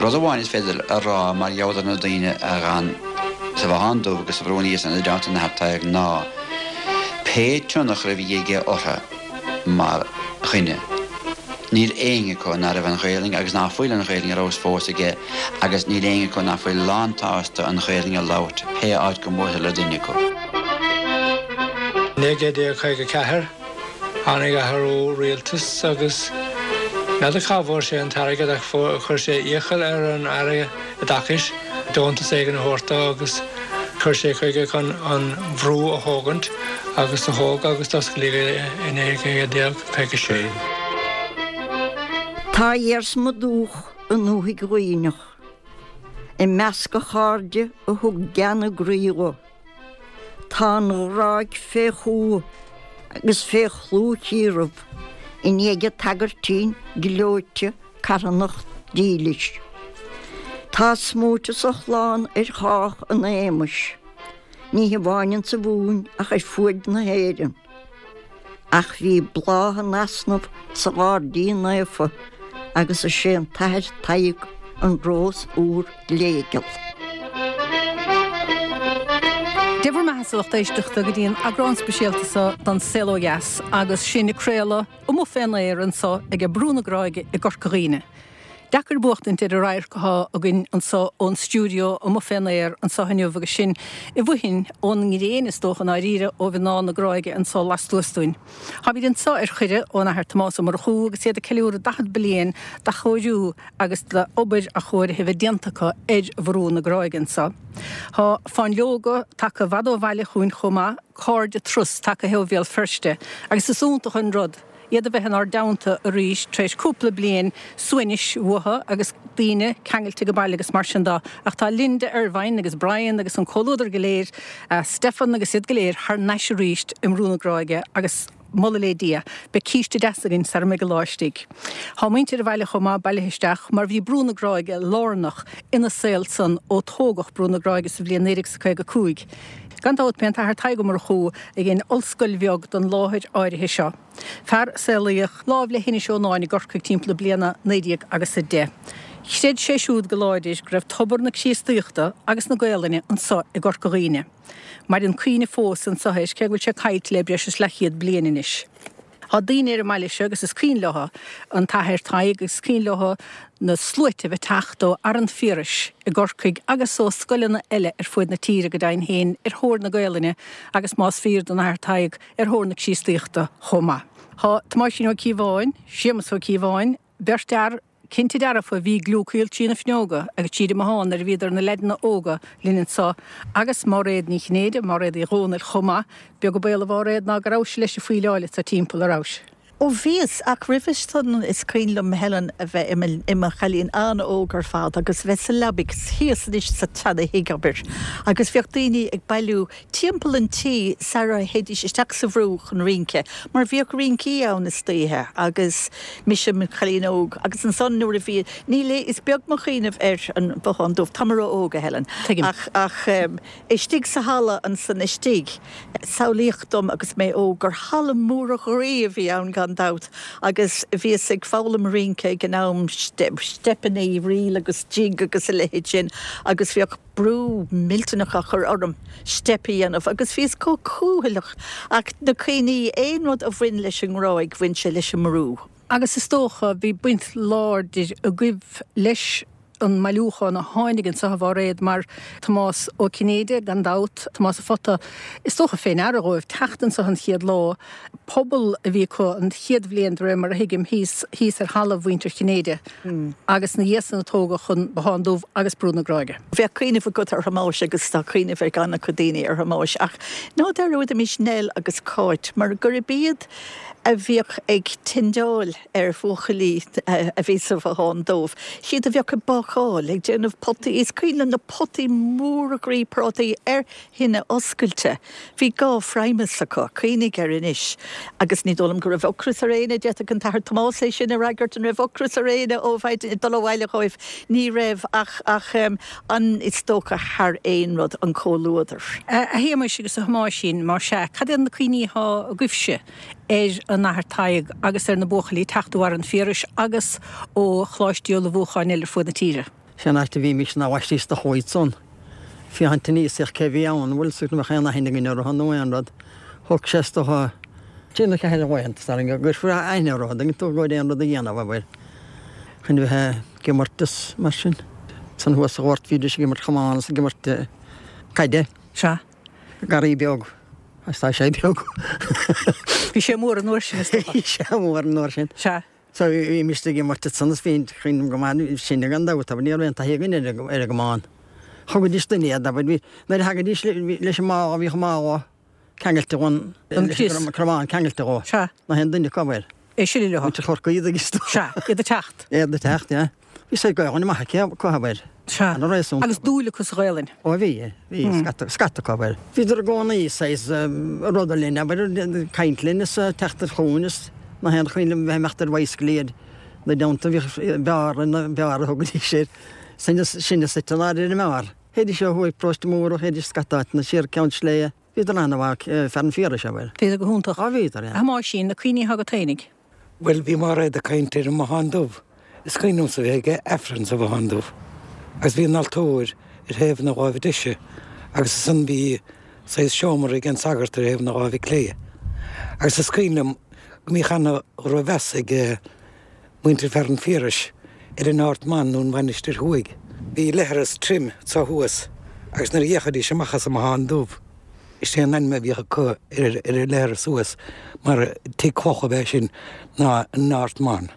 Rud amháin is féidir a rá mar gheall ar na daoine a dh'fhan sa Bhothán Dubh agus sa Bhrú Aníos ina dteannta an Athar Tadhg ná pé tionchar a bhí aige orthu mar dhuine, níl éinne acu ná raibh an Ghaelainn agus ná fuil an Ghaelainn ar fheabhas fós aige agus níl éinne acu ná fuil lán-tsásta an Ghaelainn a labhairt pé áit go mbuailfear le duine acu. 1954, Tháinig athrú rialtais agus n'fheadar cá bhfuair sé an t-airgead ach chuir sé iachall ar an Aire Oideachais deontas éigin a thabhairt dó agus chuir sé chuige chun an bhrú a thógaint agus do thóg agus d'osclaíodh é i 1956. Tá iarsma dúch i ndúthaigh Dhuibhneach, i measc a chairde a thug gean a gcroí dho. Tá an Ghráig fé chumha agus fé chlúchíoradh i ndiaidh an tsagairtín gleoite carthanach dílis. Tá smúiteas a chlann ar chách in éamais, ní hamháin insa Mhumhain ach ar fuaid na hÉireann. Ach bhí bláth in easnamh sa ghairdín naofa agus is é an tAthair Tadhg an rós úr gléigeal. Dé bhur mbeatha a lucht éisteachta go dtí an eagrán speisialta seo den Saol Ó Dheas agus sinn ag craoladh amuigh fén aer anso ag Brú na Gráige i gCorca Dhuibhne. Deacair buachtaint ar an radharc athá againn anso ón stiúideo amuigh fén aer anso inniu agus sinn i bhfoithin ón ngréin is dócha i ndáiríre ó mhná na Gráige anso lastuas dúinn. Táimid anso ar chuireadh ón Athair Tomás Ó Murchú agus iad ag ceiliúradh 40 bliain d'athchóiriú agus d'obair athchóirithe a bheith déanta acu ar Bhrú na Gráige anso. Tá Fáinleoga tagtha i bhfad ó bhaile chugainn chomh maith, cairde turas tagtha ó Bhéal Feirste agus is iontach an rud iad a bheith inár dteannta arís tar éis cúpla bliain suaimhnis uathu agus daoine ceangailte go baile agus mar sin de. Ach tá Linda Ervine agus Brian agus an comhluadar go léir, Stefan agus iad go léir thar n-ais arís i mBrú na Gráige agus moladh le Dia, beidh císte deas againn sara mbeidh an lá istigh. Tá muintir an bhaile chomh maith bailithe isteach mar bhí Brú na Gráige lárnach ina saol san ó tógadh Brú na Gráige sa bhliain 1955. Gan dabht b'é an tAthair Tadhg Ó Murchú a dhein ollscoil bheag don láthair áirithe seo. Fear a saolaíodh láimh le hInis Eonáin i gCorcaigh timpeall na bliana 19 agus 10. Chreid sé siúd go láidir go raibh tobar na Críostaíochta agus na Gaolainne anso i gCorca Dhuibhne. Maireann cuimhne fós anso air cé go bhfuil sé caillte le breis is leathchéad bliain anois. Tá daoine ar an mbaile seo agus is cuimhin leo an tAthair Tadhg agus is cuimhin leo na sluaite a bheith ag teacht ó Fhearann Phiarais i gCorcaigh agus ó scoileanna eile ar fuaid na tíre go deimhin féin ar thóir na Gaolainne agus más fíor don Athair Tadhg ar thóir na Críostaíochta chomh maith. Tá Tomáisín Ó Cíobháin, Séamus Ó Cíobháin, beirt fhear cinnte dearfa a bhí ag gliúcaíl trí na fuinneoga agus tríd an mbothán nuair a bhíodar ina leaideanna óga linn anso agus Máiréad Ní Chinnéide, Máiréad Uí Dhomhnaill chomh maith, beag an baol a Mháiréad ná go rabhais leis ag faoileáil anso timpeall, a rabhais? Ó bhíos, ach roimhe san is cuimhin liom Helen a bheith i mo chailín an-óg ar fad agus bheith sa leabaidh thíos anois sa tseana-thigh abair agus bheadh daoine ag bailiú timpeall an tí sara théidís isteach sa bhrú chun rince, mar bhíodh rincí ann istoíche agus mise mo chailín óg agus ansan nuair a bhí, níl a, is beag mo chuimhneamh ar an Bhothán Dubh, tá mé ró-óg, a Helen, Tuigim. ach, ach istigh sa halla ansan istigh, samhlaíodh dom agus mé óg gur halla mór groí a bhí ann gan dabht agus bhíos ag foghlaim rince ag an am, steipeanna, ríl agus jig agus a leithéid sin agus bhíodh. brú millteanach á chur orm steip a dhéanamh agus bhíos chomh cúthaileach ach na cuimhní, aon rud a bhain leis an nGráig, bhain sé leis an mbrú. Agus is dócha, bhí baint láidir agaibh leis an mbailiúchán a tháinig anso a Mháiréad mar Tomás Ó Cinnéide, gan dabht, Tomás a' Phota, is dócha fé ndeara dhóibh teacht anso an chéad lá, Puball a bhí acu an chéad bhliain de réir mar a thuigim thíos thíos ar thalamh mhuintir Chinnéide agus ina dhiaidh san a tógadh an Bothán Dubh agus Brú na Gráige. Bheadh cuimhneamh agat ar Thomáis agus tá cuimhneamh ag an-chuid daoine ar Thomáis ach ná dearúdaimis Nell agus Cáit mar gurb iad a bhíodh ag tendeáil ar bhuachaillí a bhí sa Bhothán Dubh. Siad a bheadh ag bácáil, ag déanamh potaí, is cuimhin liom na potaí móra groí prátaí ar thine oscailte. Bhí gá phrimus acu, cuimhnigh air anois, agus ní dóigh liom go raibh ocras ar éinne, d'fhéadfadh an tAthair Tomás é sin a fhreagairt, an raibh ocras ar éinne ó mhaidin, ag dul abhaile dhóibh? Ní raibh, ach, ach an, is dócha thar aon rud, an comhluadar. A Shéamais agus a Thomáisín, más ea, cad iad na cuimhní atá agaibhse ar an Athair Tadhg agus ar na buachaillí ag teacht ó Fhearann Phiarais agus ó choláistí ullmhúcháin eile ar fuaid na tíre? Sé an áit a bhímis ná bhaisteadh do chuaigh san. Féachaint aníos ach cé bhí ann, bhfuil 's agat an mbeadh aon aithne againn orthu nó aon rud. Thug sé is dócha trí nó ceathair de laethanta is tarraing go gcuirfí aithne orthu, an dtuigeann tú, go aon rud a dhéanamh, abair, chun bheith ag imirt is mar sin. San thuas sa ghort bhídís ag imirt chamán is ag imirt caide. Sea. Garraí beag. Agus tá sé beag. Bhí sé mór an uair sin, is dócha. Bhí sé mór an uair sin. Sea. So bhímis ag imirt ansan is bhí cuimhním go maith sinne gan dabht, abair, ní raibh aon taithí againn ar an gcamán. Thugaidís dúinn iad, abair, bhí, nuair a thagaidís leis an mála, bhíodh mála ceangailte dhon, Don chrios. an cromán ceangailte dhó. Sea. Nach aon duine acu, abair. É sin leo. Muintir Chorcaí agus. Sea, iad ag teacht. Iad ag teacht, yeah. Bhí said Gaelainn maith aici, acu, abair. Sea. Ana réasúnta. Agus dúil acu sa Ghaelainn. Ó bhí, bhí scata, scata acu, abair. Bhíodar i gcónaí saghas ruda linn, abair, caint linn is teacht ar chugainn is nach aon chaoi liom bheith imeacht ar bhicycle ar na dteannta, bhíodh beár ina, beár a thugaidís air. Sinne, sinne suite in airde ar an mbeár. Théidís ó thuaidh Paróiste Mór, théidís scata áiteanna siar Ceann Sléibhe. Bhíodar ana-mhaith, fear an Phiarais, abair. Bhíodar go hiontach. Á bhíodar, yeah. A Thomáisín, na cuimhní atá agat fhéinig? Bhuel, bhí Máiréad ag caint ar an mBothán Dubh. Is cuimhin liomsa bheith ag Aifreann sa Bhothán Dubh. Agus bhí an altóir ar thaobh na láimhe deise agus ansan bhí saghas seomra ag an sagart ar thaobh na láimhe clé. Agus is cuimhin liom go mbíodh ana-dhrochmheas ag muintir Fearann an Phiarais ar an Ard Mhan nó an Mhainistir Thuaidh. Bhí leithreas tirim anso thuas agus nuair a d'fhéachaidís amach as an mBothán Dubh, is é an ainm a bhíodh acu ar an leithreas thuas mar tigh cloch ab ea sin ná an Ard Mhan.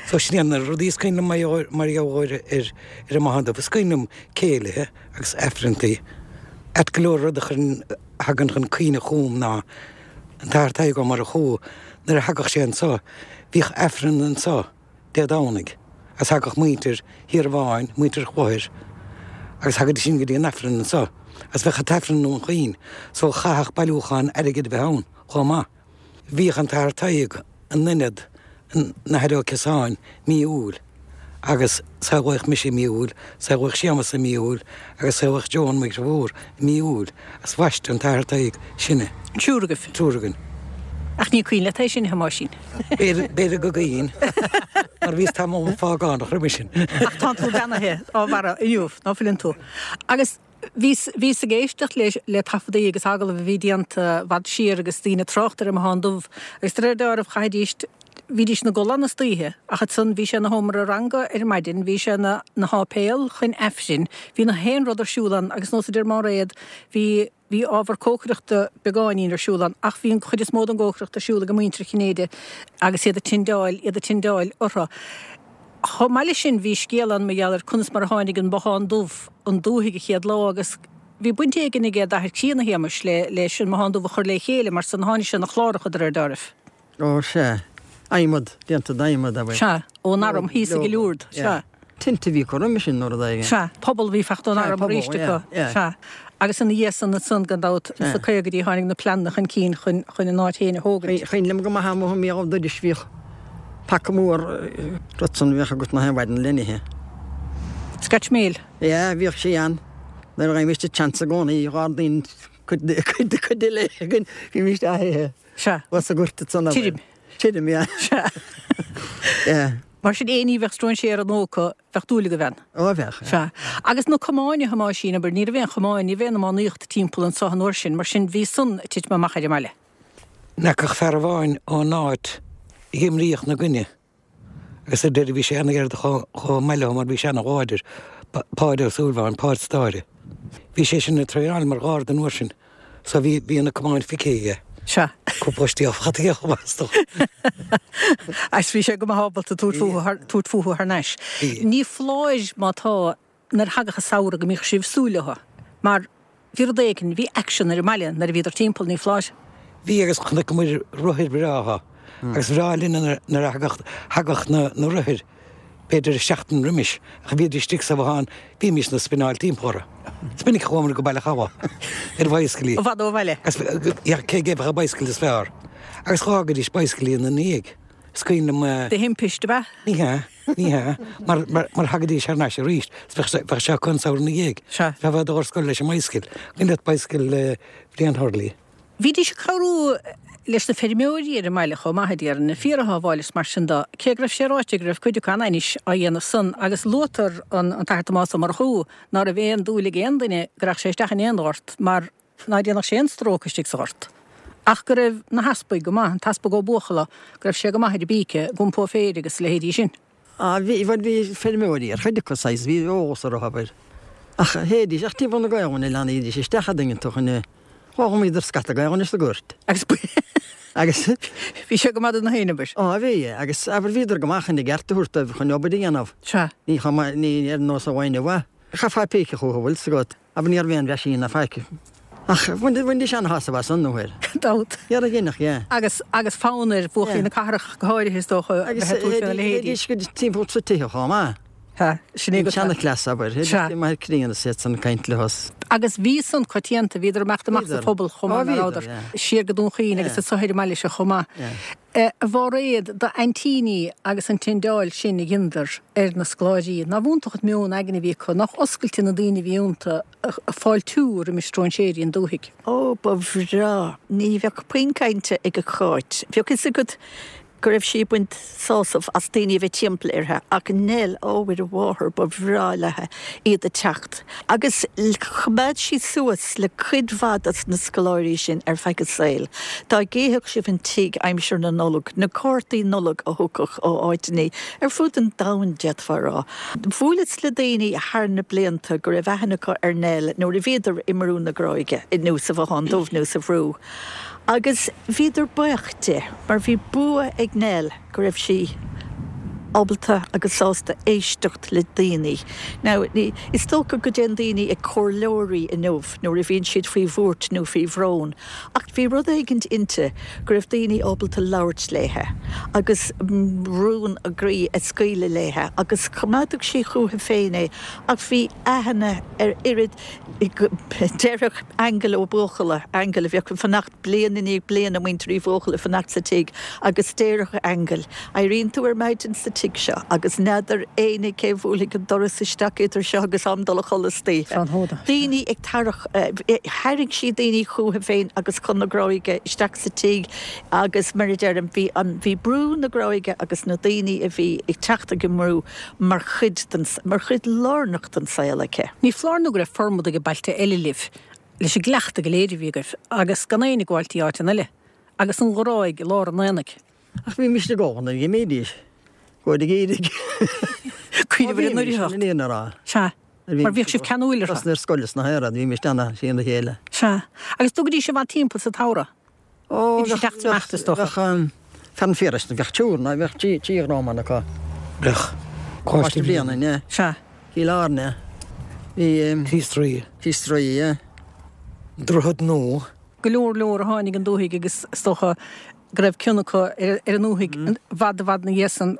So sin iad na rudaí is cuimhin liom mar gheall ar ar an mBothán Dubh. Is cuimhin liom céilithe agus aifreanntaí. Ait go leor rud a chuireann, a thagann chun cuimhne chugam ná an tAthair Tadhg Ó Murchú, nuair a thagadh sé anso, bhíodh aifreann anso Dé Domhnaigh agus thagadh muintir Thír Bháin, muintir Chlochair agus thagaidís sin go dtí an aifreann anso agus bheadh an t-aifreann i nDún Chaoin so chaithfeadh bailiúchán airgid a bheith ann chomh maith. Bhíodh an tAthair Tadhg in ionad an Athar Ó Ciosáin mí Iúil agus saolaíodh mise i mí Iúil, saolaíodh Séamus i mí Iúil agus saolaíodh Joan mo dhriofúr i mí Iúil agus bhaist an tAthair Tadhg sinne. An triúr agaibh? An triúr againn. Ach ní cuimhin leat é sin, a Thomáisín. B'fhéidir go gcuimhin, mar bhíos tamall págánach roimhe sin. Ach tánn tú beannaithe dá bharra inniu, ná fuileann tú? Agus bhíos, bhíos ag éisteacht le, le taifeadaí agus agallaimh a bhí déanta i bhfad siar agus daoine ag trácht ar an mBothán Dubh agus de réir dealraimh chaithfidís, bhídís ina gcodladh ann istoíche ach ansan bhí sé ina sheomra ranga ar maidin, bhí sé ina, ina sháipéal chun Aifrinn, bhí na haon rud ar siúl ann agus nós a deir Máiréad, bhí. Bhí ábhar cócaireachta beagáinín ar siúl ann ach bhí an chuid is mó den gcócaireacht ar siúl ag muintir Chinnéide agus iad ag tindeáil, iad ag tindeáil orthu. Chomh maith leis sin bhí scéal ann mar gheall ar conas mar a tháinig an Bothán Dubh 'on dúthaigh an chéad lá agus bhí baint éigin aige d'athair críonna Shéamais le leis an mBothán Dubh a chur le chéile mar san tháinig sé na chláracha de réir dealraimh. Ó, sea. Adhmad, déanta d'adhmad, abair. Sea, ón arm thíos i gCill Ùird, sea. Tinte a bhí acu roimhe sin nó rud éigin. Sea, puball a bhí fachta ón arm arís acu. Sea. Agus ina dhiaidh san ansan, gan dabht, sna caogaidí tháinig na pleananna chun cinn chun chun an áit féin a thógaint. Cuimhin liom go maith amuigh i mBéal Dorais bhíodh paca mór rud san a bheadh agat nach aon mhaidin le n-ithe. Scotch meal. Yeah, bhíodh sé ann. Nuair a bhímis ag seans i gcónaí, dh'ardaínn cuid cuid cuid eile againn, bhímis á hithe. Sea. Bhas a gcuirt san abair. Tirim. Tirim, yeah. Sea. Yeah. Mar sin, aon ní a bheadh stróinséara nó acu, bheadh dúil agaibh ann. Ó, bheadh, yeah. Sea. Agus na camáin, a Thomáisín, abair, ní raibh aon chamáin, ní raibh aon iománaíocht timpeall anso an uair sin, mar sin bhí san ag titim amach ar an mbaile. N'fheaca ach fear amháin ón áit a dh'imríodh 'na gcoinne. Agus ar deireadh bhí sé ana-ghearr chomh maith leo mar bhí sé ana-láidir, Páid Ó Súilleabháin, Páid Stáire. Bhí sé sin ag traenáil mar gharda an uair sin so bhí, bhí na camáin feicthe aige. Sea. Cúpla stiall faighte aige chomh maith is dócha. Agus bhí sé go maith ábalta tabhairt fúthu thar, tabhairt fúthu thar n-ais. Bhí. Ní foláir má tá nuair a thagadh an samhradh go mbíodh sibh ag súil leo mar bhí rud éigin, bhí action ar an mbaile nuair a bhíodar timpeall, ní foláir? Bhí agus chonaiceamar rothair bhreátha agus ba bhreá linn nuair a thagadh, thagadh na, na rothair b'fhéidir seachtain roimis ach bhíodar istigh sa bhothán, bhímis ag spineáil timpeall orthu. Is minic a chuamar go Baile Chabha ar bhicyclí. I bhfad ó bhaile. Agus cé aige a bheadh an bicycle is fearr. Agus dh'fhágaidís bicyclí ina ndiaidh. Is cuimhin liom. De thimpist, ab ea? Ní hea. Ní hea, mar, mar, mar thagaidís thar n-ais arís, 's bheadh sé, bheadh sé acu an samhradh ina dhiaidh. Sea. Bheifeá ag dul ar scoil leis an mbicycle. Cuimhin leat bicycle Bhriain Hurley? Bhídís ag cabhrú. leis na feirmeoirí ar an mbaile chomh maith, a déarfainn, na fíor a shábháil is mar sin de, cé go raibh sé ráite go raibh cuid acu an-ainnis á dhéanamh san agus luaitear an tAthair Tomás Ó Murchú ná raibh aon dúil ag aon duine go rachadh sé isteach in aon ghort mar ná déanfadh sé aon stróic istigh sa ghort. Ach go raibh na heaspaig go maith, an tEaspag Ó Buachalla, go raibh sé go maith ar an bpíce, ag iompó féir agus a leithéidí sin. Á, bhí, bhuel bhí feirmeoirí ar chuid acu saghas, bhí eolas orthu, abair. Ach théidís, ach timpeall na Gaolainne leanaidís isteach a' dtuigeann tú chun, dh'ullmhaíodar scata Gaolainne sa ghoirt. Agus Agus. bhí sé go maith do na héin, abair. Á, bhí, agus abair bhíodar go maith chun a gceart a thabhairt dóibh chun obair a dhéanamh. Sea. Ní chomh maith, ní ar nós an bhainne mhaith. Chaithfeá píce chucu, bhfuil 's agat. Abair ní raibh aon mheaisín ná faic. Ach bhainidís ana-shásamh as san, nó air. Gan dabht. Ar a gcinneadh, yeah. Agus, agus fonn ar bhuachaillí na cathrach go háirithe, is dócha, a Agus bheith ag tabhairt faoina leithéidí. théidís go timpeall sna tithe chomh maith. Sea, sin é An go. seanchleas, abair. Théidís Sea. go Machaire Críon is iad san ag caint leo. Agus bhí san coitianta, bhíodar ag imeacht amach sa Bhíodar. phobal chomh Á, maith, ná bhíodar, rabhadar? yeah. Siar go Dún Chaoin agus Yeah. anso ar an mbaile seo chomh maith. Yeah. A Mháiréad, d'aintíní agus an tindeáil sin a dheineadar ar na scoláirí, nárbh iontach an meon aigne a bhí acu, nách oscailte na daoine a bhí iontu ag fáiltiú roimis stróinséirí an dúthaigh. Ó, ba bhreá. Ní bheadh puinn cainte ag Cáit. Bheadh fhios agat go raibh sí ag baint sásamh as daoine a bheith timpeall uirthi, ach Nell, ó, mhuire mháthair, ba bhreá léithe iad ag teacht. Agus choimeád sí suas le cuid mhaith dos na scoláirí sin ar feadh a saoil. Dá gcífeadh sibh an tigh aimsir na Nollag, na cártaí Nollag a thiocfadh ó áiteannaí ar fud an domhain, d'fhéadfá a rá. Bhuaileas le daoine thar na blianta go raibh aithne acu ar Nell nuair a bhíodar i mBrú na Gráige, nó sa Bhothán Dubh nó sa Bhrú. Agus bhíodar buíoch di, mar bhí bua ag Nell. go raibh sí ábalta agus sásta éisteacht le daoine. Now, ní, is dócha go dtéann daoine ag comhairleoirí inniu nuair a bhíonn siad faoi bhuairt nó faoi bhrón, ach bhí rud éigint inti go raibh daoine ábalta labhairt léithe agus rún a gcroí a scaoileadh léithe agus choimeádadh sí chúithi féin é ach bhí aithne ar oiread, déarfadh Aingeal Ó Buachalla, Aingeal a bheadh ag fanacht bliain i ndiaidh bliana muintir Uí Bhuachalla ag fanacht sa tigh agus déarfadh Aingeal, Éiríonn tú ar maidin sa tigh seo agus n'fheadar éinne cé bhuailfidh an doras isteach idir seo agus am dul a chodladh istoíche. Daoine ag tarrach, tharraing sí daoine chúithi féin agus chun na Gráige isteach sa tigh agus mar a deirim, bhí an, bhí Brú na Gráige agus na daoine a bhí ag teacht ag an mbrú mar chuid den, mar chuid lárnach den saol aici. Ní foláir nó go raibh formad ag bailte eile libh leis an gcleachtadh go léir a bhí agaibh, agus gan éinne ag gabháil dtí áiteanna eile, agus an Ghráig i lár an aonaigh. Ach bhímist i gcónaí ag imídís, go ag iarraidh. Cuimhneamh ar an oidhreacht. Bhímist, in aon rá. Sea, mar bhíodh sibh ceanúil orthu. Trasna ar scoil is na héireann, bhímist ana sín a chéile. Sea, agus dtugaidís i bhfad timpeall sa tsamhradh? Ó, Bhídís ag teacht is imeacht, is dócha. Bheadh fear an Phiarais, bheadh triúr, nó bheadh trí dhróman acu. Bheadh. Coláiste Bhréanainn, yeah. Sea. Cill Airne. Bhí. Críost Rí. Críost Rí, yeah. Droichead Nua. Go leor leor a tháinig an dúthaigh agus is dócha go raibh cion acu ar an ndúthaigh i bhfad i bhfad ina dhiaidh san.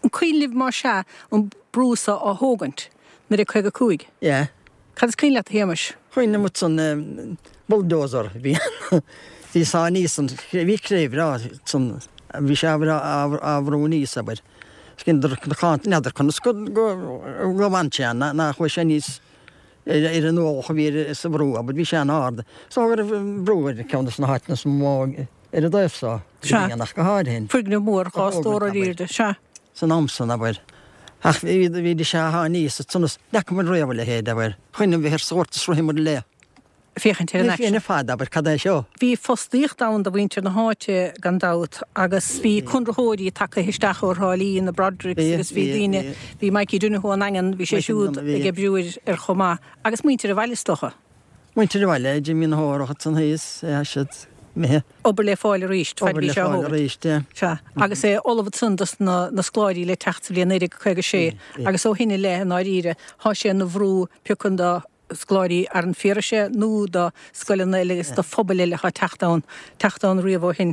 An cuimhin libh más ea an brú so á thógaint, 1955? Yeah. Cad is cuimhin leat, a Shéamais? Cuimhin liom ansan bulldozer a bhí ann. Bhí sá aníos an, bhí cré bhreá ansan, bhí sé á bhrú aníos, abair. N'fheadar n'fheadar conas go go bhfan sé ann, ná chuaigh sé aníos ar an ualach a bhí air sa bhrú, abair, bhí sé an-ard. So go raibh brú ar ceann de na háiteanna is mó ar an dtaobh so, Sea. ach go háirithe. Foirgneamh mór, dhá stór ar airde, sea. san am san, abair. Ach bhídís á shá aníos ansan is n'fheaca muid riamh a leithéid, abair. Chuimhnigh bheith ar sórt is rith muid le. féachaint ar an aicsean. Ní fad, abair, cad é seo? Bhí fostaíocht ann do mhuintir na háite, gan dabht, agus bhí conraitheoirí tagtha isteach ó Thrá Lí, na Brodericks, agus bhí daoine, bhí Mikey Donoghue ón nDaingean, bhí sé siúd ag oibriú air chomh maith, agus muintir an bhaile, is dócha. Muintir an bhaile, Jimí na hÓrach ansan thíos, tá siad imithe. Obair le fáil arís, fad Obair bhí le sé á fáil thógaint. arís, yeah. Sea, agus é ullamh ansan dos na scoláirí le teacht sa bhliain 1956 agus ó shin i leith, i ndáiríre, thá sé ina bhrú pé acu do scoláirí ar an Phiarais é nó do scoileanna eile agus do phobail eile athá teacht ann, teacht ann riamh ó shin.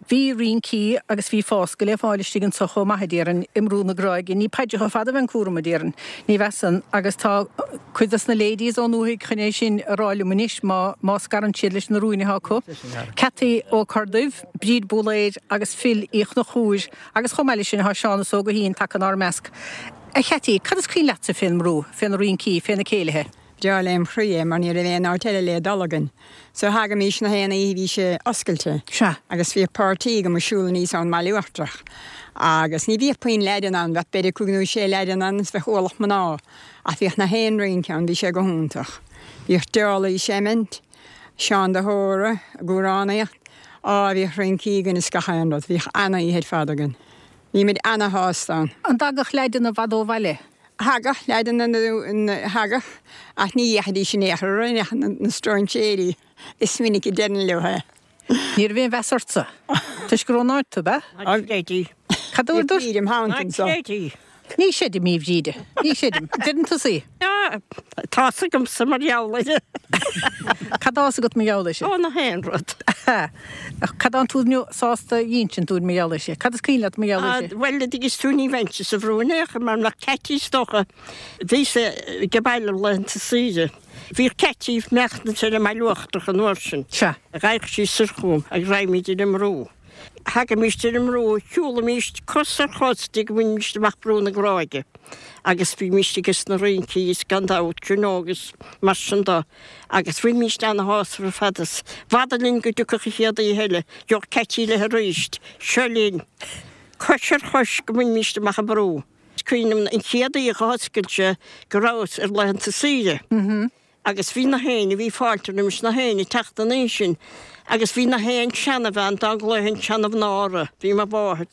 Bhí rincí agus bhí fásca le fáil istigh anso chomh maith, a déarfainn, i mBrú na Gráige. Ní paidreacha fada a bheith an cúram, a déarfainn. Ní mheasann. Agus tá cuid dos na ladies ón ndúthaigh chun é sin a rá liom anois, má, má scarann siad leis na rúin atá acu. Ceataí Ó Corrduibh, Bríd Búlaeir agus Phil Uí Chonchúir agus chomh maith leis sin thá Seánus Ó Guithín tagtha inár measc. A Cheaití, cad is cuimhin leatsa fén mbrú, fé na rincí, fé na céilithe? Breá lem chroí é mar ní raibh aon áit eile le dul againn. So thagaimís na haon oíche bhí sé oscailte. Sea. Agus bhíodh páirtí agam ag siúl aníos ón mBaile Uachtarach. Agus ní bhíodh puinn leaideanna ann, bheadh b'fhéidir cúig nó sé leaideanna ann is bheadh ualach mná. Ach bhíodh na haon rince ann, bhí sé go hiontach. Bhíodh Dálaí ag seimint, Seán de hÓra ag amhránaíocht, á bhíodh rincí againn is gach aon rud, bhíodh an-oíche ar fad againn. Bhí muid ana-shásta ann. An dtagadh leaideanna i bhfad ó bhaile? Thagadh leaideanna, thagadh, ach ní dheachaidís in aon chor ar na stróinséirí, is minic a deireann leo é. Ní raibh aon mheas ortsa, toisc gur ón áit tú, ab ea? Ná creid í. Cad a dúirt? Bhí im theannta anso. Ná creid í. Ní chreidim í, a Bhríde. Ní chreidim. Deireann tusa í. Tá's agamsa mar gheall air. Cad tá's agat mar gheall air sin? Ó, na haon rud. Ach cad tánn tú sásta a insint dúinn mar gheall air sin? Cad is cuimhin leat mar gheall air sin? Bhuel, a dtuigeanns tú, ní bheinnse sa bhrú in aon chor mar mbeadh Ceaití is dócha. Bhíos ag baile laethanta saoire. Bhíodh Ceaití ag maireachtaint ar an mBaile Uachtarach an uair sin. Sea. Ghaibheadh sí soir chugam agus raghaimíd ar an mbrú. Thagaimíst ar an mbrú, shiúlaimíst cos ar chos dtí go mbainimíst amach Brú na Gráige agus bhímíst ages na rincí is gan dabht, you know, agus mar sin do. Agus bhímíst ana-shásta ar fad is b'fhada linn go dtiocfadh an chéad oíche eile, gheobhadh Ceaití léi aríst, seo linn, cois ar chois go mbainimíst amach an brú. Is cuimhin liom an chéad oíche a dh'oscail sé go rabhas ar laethanta saoire. Agus bhí na héinne, bhí fáilte roimis na héinne teacht an oíche sin agus bhí na haon seanabhean dá nglaofainn seanamhná orthu, bhí mo mháthair,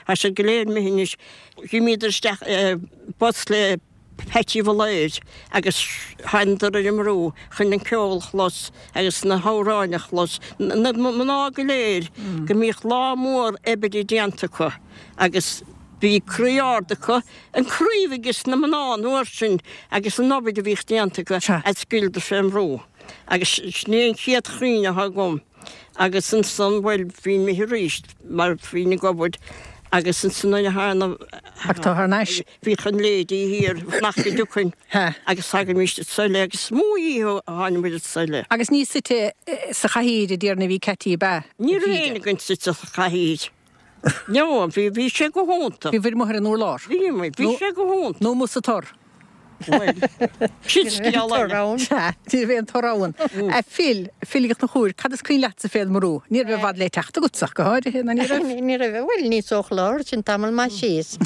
tá siad go léir imithe anois, d'imíodar isteach i bus le Peaití Bhalaoir agus thánadar ar an mbrú chun an ceol a chlos agus na hamhráin a chlos, na mná go léir go mbíodh lá mór oibre déanta acu agus bhí croí ard acu. An croí a bhí ages na mná an uair sin agus an obair a bhíodh déanta acu a scaoileadar fén mbrú. Agus sin é an chéad chuimhne atá agam. Agus ansan, bhuel, bhínn imithe arís mar bhínn ag obair agus ansan nuair a tharna, Ach tá thar n-ais. bhíodh an lady thiar nach go dtiocfainn agus thagaimís anso eile agus is mó oíche a tháinig muid anso eile. Agus ní suite sa chathaoir a déarfainn a bhí Ceaití ab ea? Ní raibh éinne againn suite sa chathaoir. No, bhí, bhí sé go hiontach. Bhí bhur amuigh ar an urlár. Bhí muid, bhí sé go hiontach. Nó amuigh sa tor. Bhuel, sin scéal eile. Sea, ní raibh aon tor ann. A Phil, Phil Uí Chonchúir, cad is cuimhin leatsa fén mbrú? Ní raibh i bhfad le teacht agatsa ach go háirithe, ná ní raibh? Ní raibh, bhuel, ní sa chlár, sin tamall maith síos.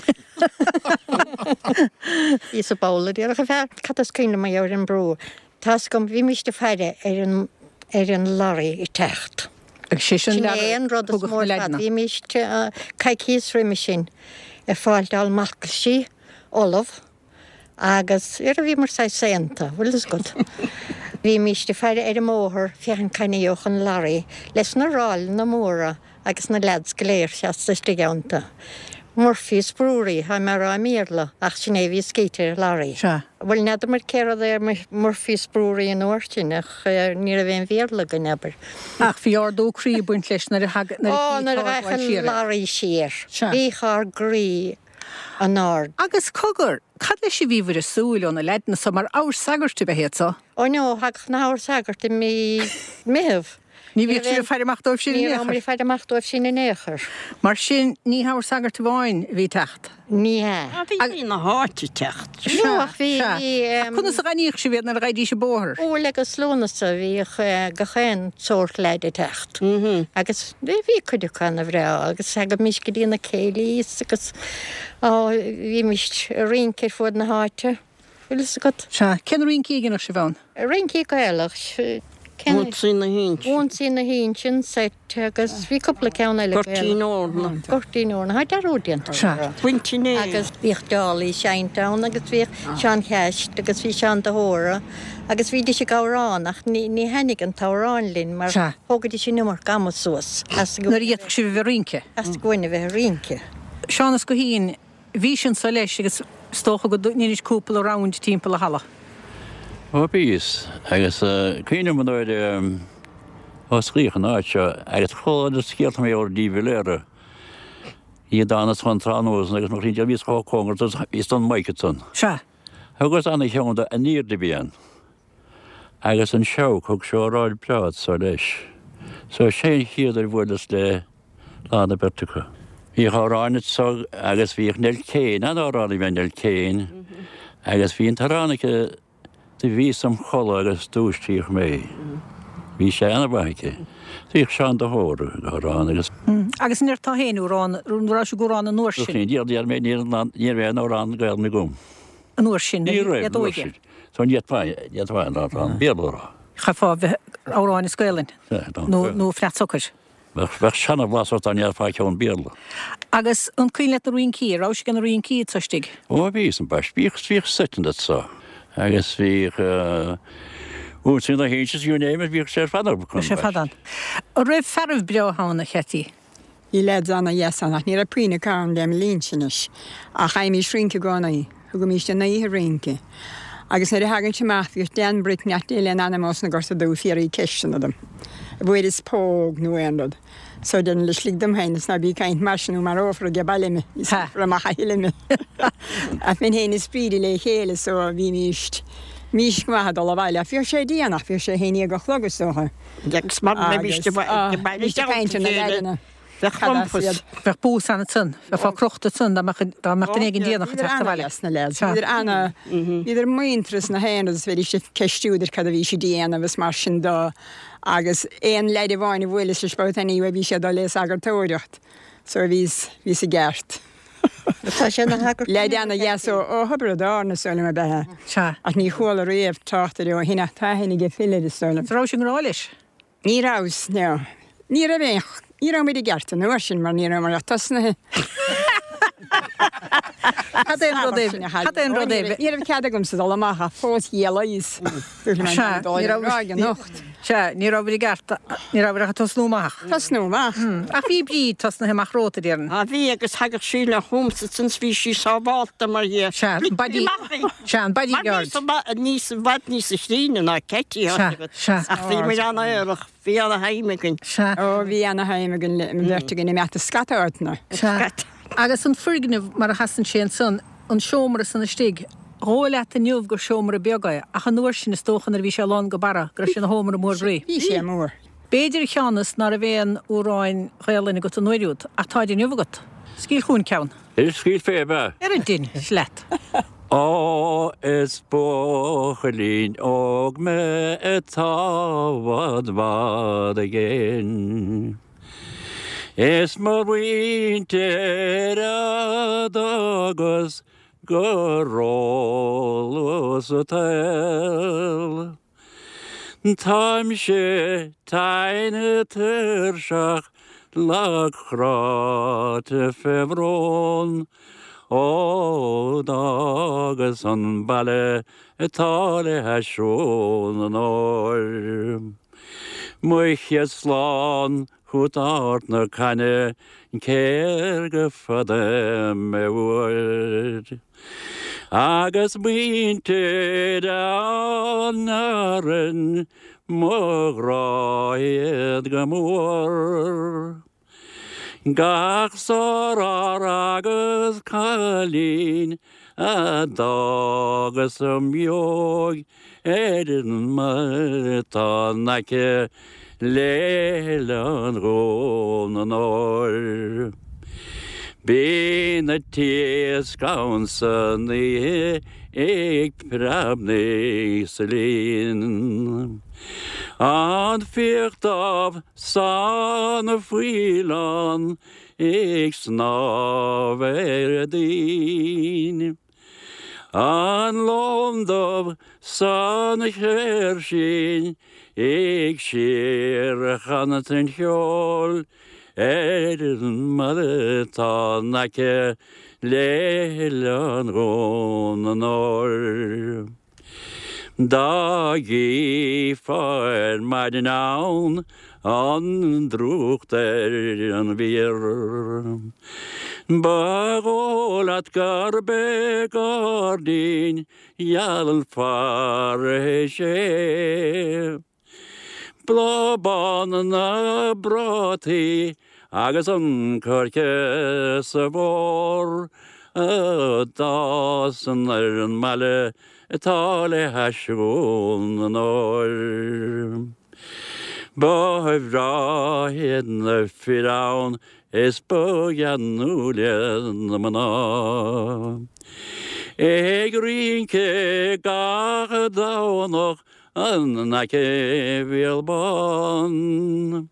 Bhíos sa bpoll a déarfadh an fear. Cad is cuimhin liom mar gheall ar an mbrú? Tá's agam, bhímíst ag faire ar an, ar an lorry ag teacht. Agus sé sin Sin é an rud is mó ar fad. Bhímíst coicíos roimhe sin ag fáilteáil marcaisí ullamh agus ar bhíomar saghas saonta, bhfuil fhios agat. Bhímíst ag faire ar an mbóthar féachaint cá n-gheobhadh an lorry leis na ráileanna móra agus na leaids go léir seasta istigh iontu. Murphy's Brewery, tá mé a rá i mBéarla, ach sin é a bhí scríte ar an lorry. Sea. Bhuel, n'fheadar muid cé rud é Murphy's Brewery an uair sin, ach ní raibh aon Bhéarla againn, abair. Ach bhí ardú croí ag baint leis nuair a thag, nuair a Ó, nuair a ghabhadh an lorry siar. Sea. Bhíodh ár gcroí an-ard. Agus cogar, cad leis a bhí bhur ag súil ó na leaideanna so, mar abhar sagairt ab ea iad so? Ó no, thagadh na habhar sagairt i mí Meitheamh. Ní bhíodh sibh ag faire amach dóibh sin in Ní aon chor. rabhamar ag faire amach dóibh sin in aon chor. Mar sin, ní habhar sagairt amháin a bhí ag teacht. Ní hea. Ah, bhí daoine na háite ag teacht. No, ach bhí, Sea. bhí, Ach conas a dh'aithníodh sibh iad nuair a ghabhaidís an bóthar? Iúil agus Lúnasa bhíodh gach aon sórt leaid ag teacht. Agus bhí, bhí cuid acu ana-bhreá agus thagaimís go dtí na céilís agus, á, bhímís ag rince ar fuaid na háite. Bhfuil fhios agat? Sea. Cén rincí a dhéanadh sibh ann? Rincí Gaelach. Cén. Ionsaí na hInse. Ionsaí na hInse, an seit agus bhí cúpla ceann eile Gaelach. Goirtín Eorna. Goirtín Eorna. Tá dearúd déanta Sea. orthu. Baint an Fhéich. Agus bhíodh Dálaí ag seinnt ann agus bhíodh Seán Cheist agus bhí Seán de hÓra agus bhídís ag amhrán ach ní ní thaitnigh an t-amhrán linn mar Sea. thógaidís an iomarca ama suas as Nuair a d'fhéadfadh sibh a bheith ag rince. As go a bheith ag rince. Seán Ó Guithín, Bhís anso leis agus is dócha go ndeinis cúpla round timpeall an halla. Ó bhíos, agus cuimhním an uair a osclaíodh an áit seo agus chuala na scéalta mar gheall ar de Valera, iad ann is chun tráthnóna agus mo chroí bhíos chomh cóngarach bhíos don mic ansan. Sea. Thugas ana cheann de an aoirde a bhí ann. Agus an Seabhac thug sé óráid breá anso leis. So sé an chéad uair a bhuaileas le lán an bheirt acu. Bhíodh amhráin anso agus bhíodh Nell Kane, an-amhránaí ab ea Nell Kane, agus bhí an t-amhrán aici. Do bhíos im chodladh agus dúisíodh mé. Bhí sé ana-mhaith aici. Bhíodh Seán de hÓra ag amhrán agus. Agus an ndéarfá féin amhrán, an raibh sibh ag amhrán an uair sin? Ní raibh, ní raibh aon amhrán Gaelainne agam. An uair sin, Ní raibh, an uair sin. So ní fhéadfá, ní fhéadfá aon amhrán Béarla a rá. Chaithfeá bheith amhráin as Gaelainn nó Fleadh Socair. Bheadh seana-bhlas ort dá ndéarfá ceann Béarla. Agus an cuimhin leat na rincí, an rabhais ag na rincí anso istigh? Ó bhíos, ambaist. Bhíodh, bhíodh seiteanna anso agus bhíodh ionsaí na hInse, you name it, bhíodh sé ar fad ann. Bhíodh sé ar fad ann. An raibh fearaibh breátha ann, a Cheaití? Bhí leaids ana-dheas ann ach ní raibh puinn acu ann le mo linnse anois. Ach fhaighimís rince i gcónaí. Thugaimis an oíche rince. Agus nuair a thagainnse amach bhíodh Dan Brick nach Dé lena anam ós na Gorta Dubha ag fiafraí ceisteanna dom. An bhfuaireas póg nó aon rud. So deirinn leis lig dom féin is ná bí ag caint mar sin nó marófar age baile mé. Ní scaoilfear amach a thuilleadh mé. Ach bheinn féin is Bríd le chéile so bhímíst, bhímíst go maith ag dul abhaile. Ach bhíodh sé déanach, bhíodh sé a haon dhéag a chlog is dócha. Agus mar bhímíst ag baile ag caint ar na leaideanna. Bheadh rompas. Bheadh bús ann ansan. Bheifeá crochta ansan dá mbeadh dá mbeadh duine éigin déanach ag teacht abhaile. Bhíodar ana-dheas na leaids. Bhíodar ana, bhíodar muinteartha is na haon rud is bheidís ag ceistiú idir cad a bhí siad a dhéanamh is mar sin de agus aon leaid amháin a bhuaileas leis babhta anyway bhí sé ag dul le sagartóireacht so bhíos, bhíos i gceart. Tá sé ina shagart. Leaid ana-dheas ó ó Thiobraid Árann is dóigh liom ab ea. Sea. Ach ní chuala riamh trácht air ó shin ach tá aithne aige Phil air is dóigh liom. An rabhais i ngrá leis? Ní rabhas, no. Ní raibh aon, ní raibh muid i gceart an uair sin mar ní rabhamar ach tosnaithe. Cad é an rud é, cad é an rud é? Ní raibh cead agamsa dul amach ach fós gheallais. Sea, ní raibh, anocht. Sea, ní rabhair i gceart, ní rabhair ach ag tosnú amach. Tosnú amach. Ach bhí Bríd tosnaithe amach romhat, a déarfainn. Ah bhí, agus thagadh sí le chugamsa since bhí sí sábhálta mar dhea. Sea, an body, sea, an bodyguard. Mar bhí níos, i bhfad níosa chríonna ná Ceití, Sea. Sea. Ach bhí muid an-aerach, bhí ana-thaim againn. Sea. Ó, bhí ana-thaim againn, an bheirt againn, imeacht i scata áiteanna. Sea. Agus an foirgneamh mar a sheasann sé ansan, an seomra san istigh, dhóigh leat inniu gur seomra beag é, ach an uair sin is dócha nuair a bhí sé lán go barra go raibh sé ina sheomra mór groí. Bhí sé mór. B'fhéidir a Sheánas ná raibh aon amhráin Ghaelainn agat an uair úd, ach táid inniu agat. Scaoil chugainn ceann. Is scaoilfidh mé. Ar a dtinn leat. Ó is buachaillín óg mé atá i bhfad bhfad i gcéin Is mo mhuintir a d'fhágas go róluath sa tsaol. Táimse tinn tuirseach lag cráite fé bhrón Ó d'fhágas an baile atá le hais Dhún an Óir. Mo chéad slán Chugat Ard na Caithne cé'r go fada mé uair Agus muintir an Árainn mo ghrá iad go mór Gach sár-fhear agus cailín a d'fhágas im dheoidh Ar an mbaile atá in aice le hOileán Dhún an Óir. Bíonn an t-iasc ann san oíche ag preabnaigh sa linn. An fiach dubh 's an faoileán ag snámh ar an dtoinn. An lon dubh 's an chéirsín ag síorchanadh an cheoil ar an mbaile atá in aice le hOileán Dhún an Óir. Dá gcífeá ar maidin ann an drúcht ar an bhféar. Ba dhóigh leat gurb é gairdín geal fairthis é. Bláth bán na bprátaí agus an coirce sa bhfómhar a d'fhásann ar an mbaile atá le hais Dhún an Óir. Ba bhreá iad na fir ann. Is ba gheanúla na mná. Ag rince gach Domhnach in aice Bhéal Bán.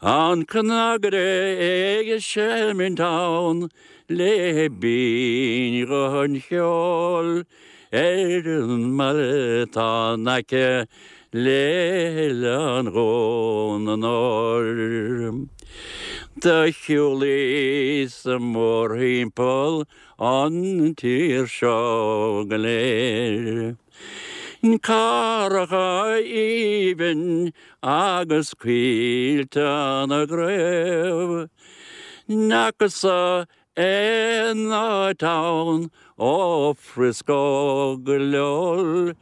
An cnagaire ag seimint ann le binn-ghuth an cheoil ar an mbaile 'tá in aice le hOileán Dhún an Óir. Do shiúlaíos mórthimpeall an tír seo go léir. Carracha aoibhinn agus coillte na gcraobh. N'fheacas-sa aon áit ann ó Frisco go Lowell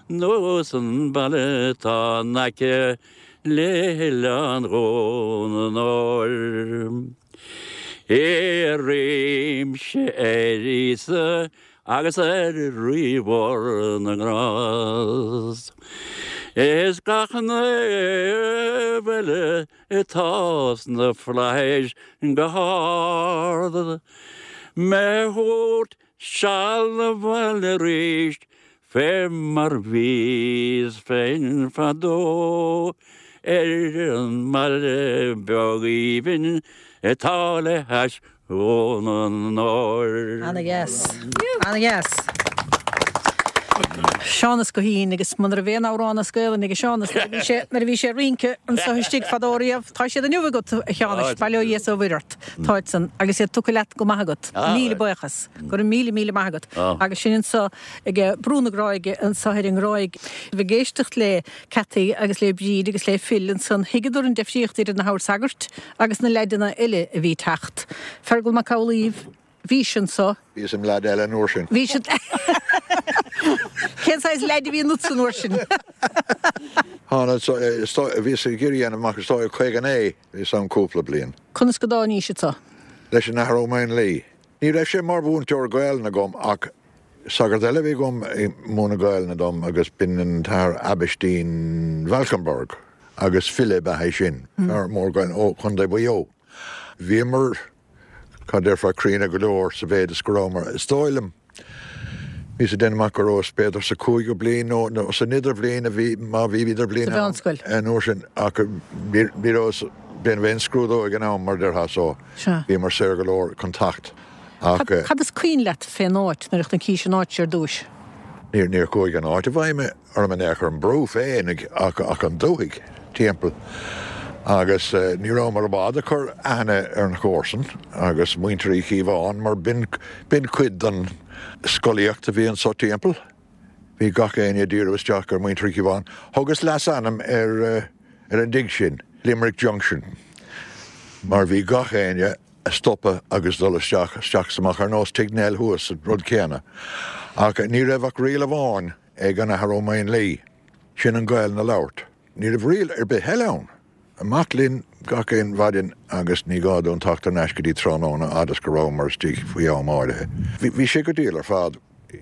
nós an baile 'tá in aice le hOileán Dhún an Óir. Iarraimse ar Íosa agus ar Rí mhór na nGrást is gach naomh eile atá sna flaithis go hard, mé thabhairt seal 'na bhaile arís fé mar bhíos féin fadó ar an mbaile beag aoibhinn atá le hais Dhún an Óir. Ana-dheas. Ana-dheas. Seánas Guithín agus muna raibh aon amhrán as Gaelainn ag Seánas nuair a bhí sé nuair a bhí sé ag rince anso istigh fadó riamh. Tá siad inniu agat, a Sheánais, bail ó Dhia is ó Mhuire ort. Táid san agus iad tugtha leat go maith agat. Míle buíochas. Go raibh míle míle maith agat. Agus sin anso ag Brú na Gráige anso ar an nGráig. Ag éisteacht le Cathy agus le Bríd agus le Phil ansan thuigeadar an deifríocht idir na habhair sagairt agus na leaideanna eile a bhí ag teacht. Fergal Mac Amhlaoibh, Bhís anso. Bhíos im leaid eile an uair sin. Bhís. Cén saghas leaid a bhí ionatsa an uair sin? Thána, bhíos ag iarraidh a dhéanamh amach, is dóigh, 59, bhíos ann cúpla bliain. Conas go dtáinís anso? Leis an Athair Ó Maonlaí. Ní raibh sé mar mhúinteoir Gaelainne agam ach sagart eile a bhí agam ag múineadh Gaelainne dom agus b'in an tAthair Aibhistín Valkenberg agus file ab ea é sin, fear mór Gaelainne ó Chontae Mhaigh Eo. Bhíomar, cad déarfá, críonna go leor sa mhéid is go rabhamar, is dóigh liom, Bhíos ag déanamh amach go rabhas b'fhéidir sa chúigiú bliain nó san idirbhliain a bhí, má bhí idirbhliain ann an uair sin ach ní rabhas ag déanamh aon scrúdú ag an am mar a déarfá so bhíomar saor go leor chun teacht ach. Cad is cuimhin leat fén áit nuair a chonacís an áit ar dtúis? Níor chuaigh an áit i bhfeidhm orm in aon chor, an brú féin ach an dúthaigh timpeall agus ní rabhamar i bhfad ag cur aithne ar an chomharsan agus muintir Uí Chíobháin mar b'in cuid den scolaíocht a bhí anso timpeall. Bhí gach éinne ag díriú isteach ar mhuintir Uí Chíobháin. Thugas leasainm ar an dtigh sin, Limerick Junction, mar bhí gach éinne ag stopadh agus dul isteach, isteach is amach, ar nós Tigh Nell thuas, an rud céanna. Ach ní raibh ach riail amháin ag an Athair Ó Maonlaí, sin an Ghaelainn a labhairt. Ní raibh riail ar bith eile ann. Amach linn gach aon mhaidin agus ní gá dúinn teacht thar n-ais go dtí tráthnóna fhad is go rabhamar istigh faoi am áirithe. Bhí sé go diail ar fad.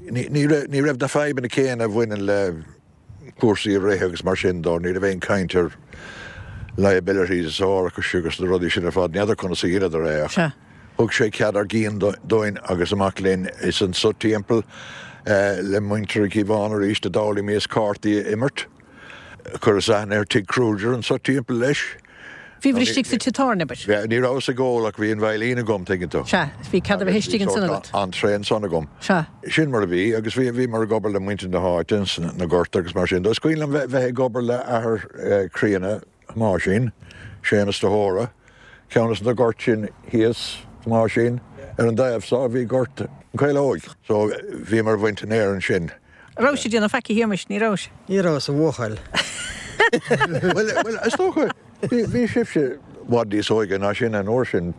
Ní raibh na fadhbanna céanna a bhaineann le cúrsaí a rith agus mar sin dó. Ní raibh aon chaint ar liabilities is árachais agus na rudaí sin ar fad. N'fheadar conas a dheineadar é ach thug sé cead ár gcinn dúinn agus amach linn is anso timpeall le muintir Uí Chíobháin arís a d'fhoghlaimíos cártaí a imirt. Chuireas aithne ar Tigh Kruger anso timpeall leis. Bhíobhair istigh sa tigh tábhairne, abair. Ní rabhas ag ól ach bhí an veidhlín agam, tuigeann tú. Sea, bhí cead a bheith istigh ansan agat. Entrée ansan agam. Sea. Sin mar a bhí agus bhí, bhíomar ag obair le muintir na háite ins na goirt agus mar sin de. Is cuimhin liom bheith ag obair le athair críonna Thomáisín, Séamus de hÓra, ceann des na goirt sin thíos, Thomáisín, ar an dtaobh so bhí gort an Chaolóig. So bhíomar ag baint an fhéir ansin. An rabhais ag déanamh faic a Shéamais? Ní rabhais. Ní rabhas a bhuachaill. Bhuel, bhuel, is dócha, bhí, bhí sibhse i bhfad níos óige ná sin an uair sin.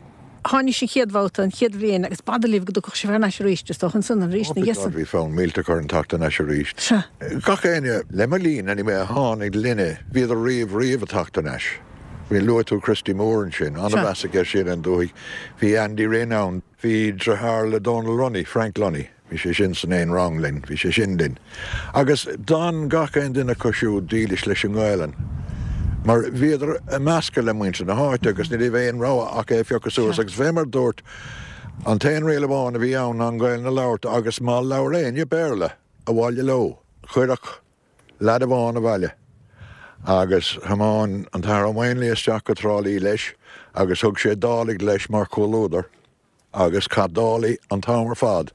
Tháinís an chéad bhabhta, an chéad bhliain, agus b'fhada libh go dtiocfadh sibh thar n-ais arís, is dócha, ansan, arís ina dhiaidh san. Bhí fonn millteach orainn teacht thar n-ais arís. Sea. Gach éinne, le mo linn, anyway, a tháinig linne, bhíodar riamh, riamh ag teacht thar n-ais. Bhí, luaigh tú Christy Moore ansin, an-mheas aige sin ar an dúthaigh. Bhí Andy Rynne ann. Bhí driotháir le Dónal Lunny, Frank Lunny, bhí sé sin san aon rang linn, bhí sé sin linn. Agus d'fhan gach aon duine acu siúd dílis leis an nGaelainn. Mar bhíodar ag meascadh le muintir na háite agus ní raibh aon rogha ach é a phiocadh suas agus fé mar dúrt, an t-aon riail amháin a bhí ann ná an Ghaelainn a labhairt agus má labhair éinne Béarla abhaile leo, chuirfeadh leaid amháin abhaile agus thiomáin an tAthair Ó Maonlaí isteach go Trá Lí leis agus thug sé Dálaigh leis mar chomhluadar. Agus chaith Dálaigh an t-am ar fad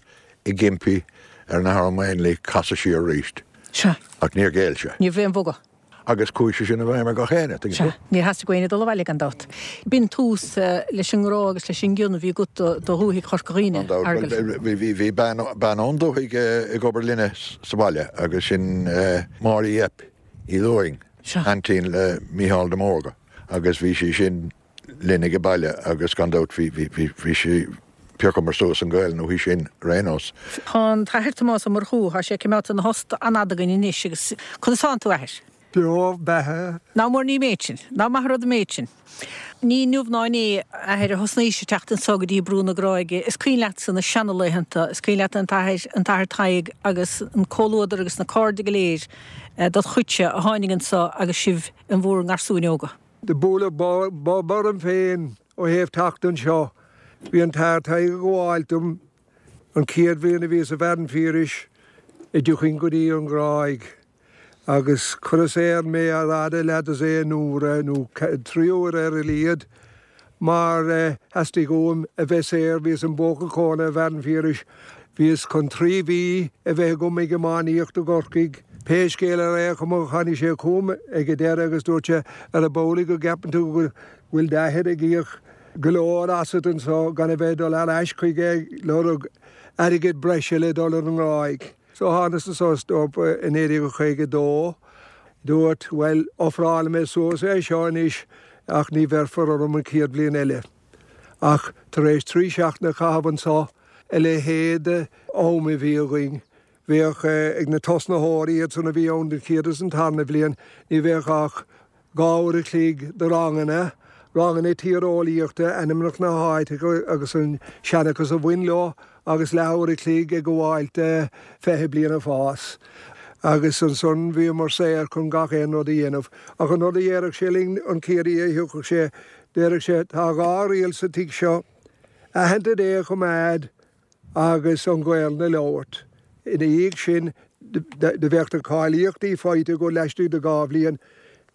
ag impí ar an Athair Ó Maonlaí casadh siar arís. Sea. Ach níor ghéill sé. Ní raibh aon bhogadh. Agus chuaigh sé sin i bhfeidhm ar gach éinne, tuigeann tú. Sea. Níor theastaigh ó éinne dul abhaile, gan dabht. B'in tús leis an ngrá agus leis an gcion a bhí agat do dhúthaigh Chorca Dhuibhne, Gan dabht. Fheargail. Bhuel, bhí, bhí bean, bean ón dúthaigh ag obair linne sa bhaile agus sin Máire Yeap Uí Lúing, Sea. aintín le Mícheál de Mórdha agus bhí sí sin, linn ag an baile agus gan dabht bhí, bhí, bhí, bhí sí, phiocamar suas an Ghaelainn uaithi sin ar aon nós. Tá an tAthair Tomás Ó Murchú, tá sé ag coimeád ina thost an-fhada againn anois agus conas tánn tú, a Athair? Beo, beatha. Ná mór ní an méid sin. Ná maith an rud an méid sin. Ní inniu ná inné, a Athair, a thosnaís ag teacht anso go dtí Brú na Gráige. Is cuimhin leatsa na seanalaethanta, is cuimhin leat an tAthair, an tAthair Tadhg agus an comhluadar agus na cairde go léir dod chuidse a tháinig anso agus sibh in bhur ngarsúin óga. Do buaileadh bob orm féin ó thaobh teacht anseo. Bhí an tAthair Tadhg ag gabháilt dom an chéad bhliain a bhíos i bhFearann Phiarais a dtiocfainn go dtí an Ghráig agus cuireadh saor mé ar fhad a leathdosaen uaire nó trí huaire ar a laghad mar theastaigh uaim a bheith saor. Bhíos im bhuachaill cónaithe i bhFearann Phiarais. Bhíos chun trí mhí a bheith agam ag iománaíocht i gCorcaigh. Pé scéal ar aon chuma tháinig sé chugam ag an deireadh agus dúirt sé, Ar ab amhlaidh go gceapann tú go bhfuil d'athair ag íoc go leor asat anso gan a bheith ag dul ar ais chuige ag lorg airgead breise le dul ar an nGráig. So thánas anso is dócha i 1952. Dúirt, bhuel, ofrálfaidh mé suas é seo anois ach ní bhéarfar orm an chéad bhliain eile. Ach tar éis trí seachtaine a chaitheamh anso, a leithéid d'am a bhí againn, bheadh ag na tosnaitheoirí, iadsan a bhí ann den chéad is an tarna bhliain, ní bheadh ach 2 uair a chloig de ranganna, ranganna tíreolaíochta, ainmneacha na háiteacha agus an seanchas a bhain leo, agus leathuair a chloig ag gabháilt de 20 bliain ag fás. Agus ansan bhíomar saor chun gach aon rud a dhéanamh. Ach an rud a dhéarfadh sé linn an chéad oíche a thiocfadh sé, déarfadh sé, tá dhá riail sa tigh seo, aitheanta Dé a choimeád agus an Ghaelainn a labhairt. Ina dhiaidh sin, do bheadh na cáilíochtaí faighte agat laistigh de dhá bhliain.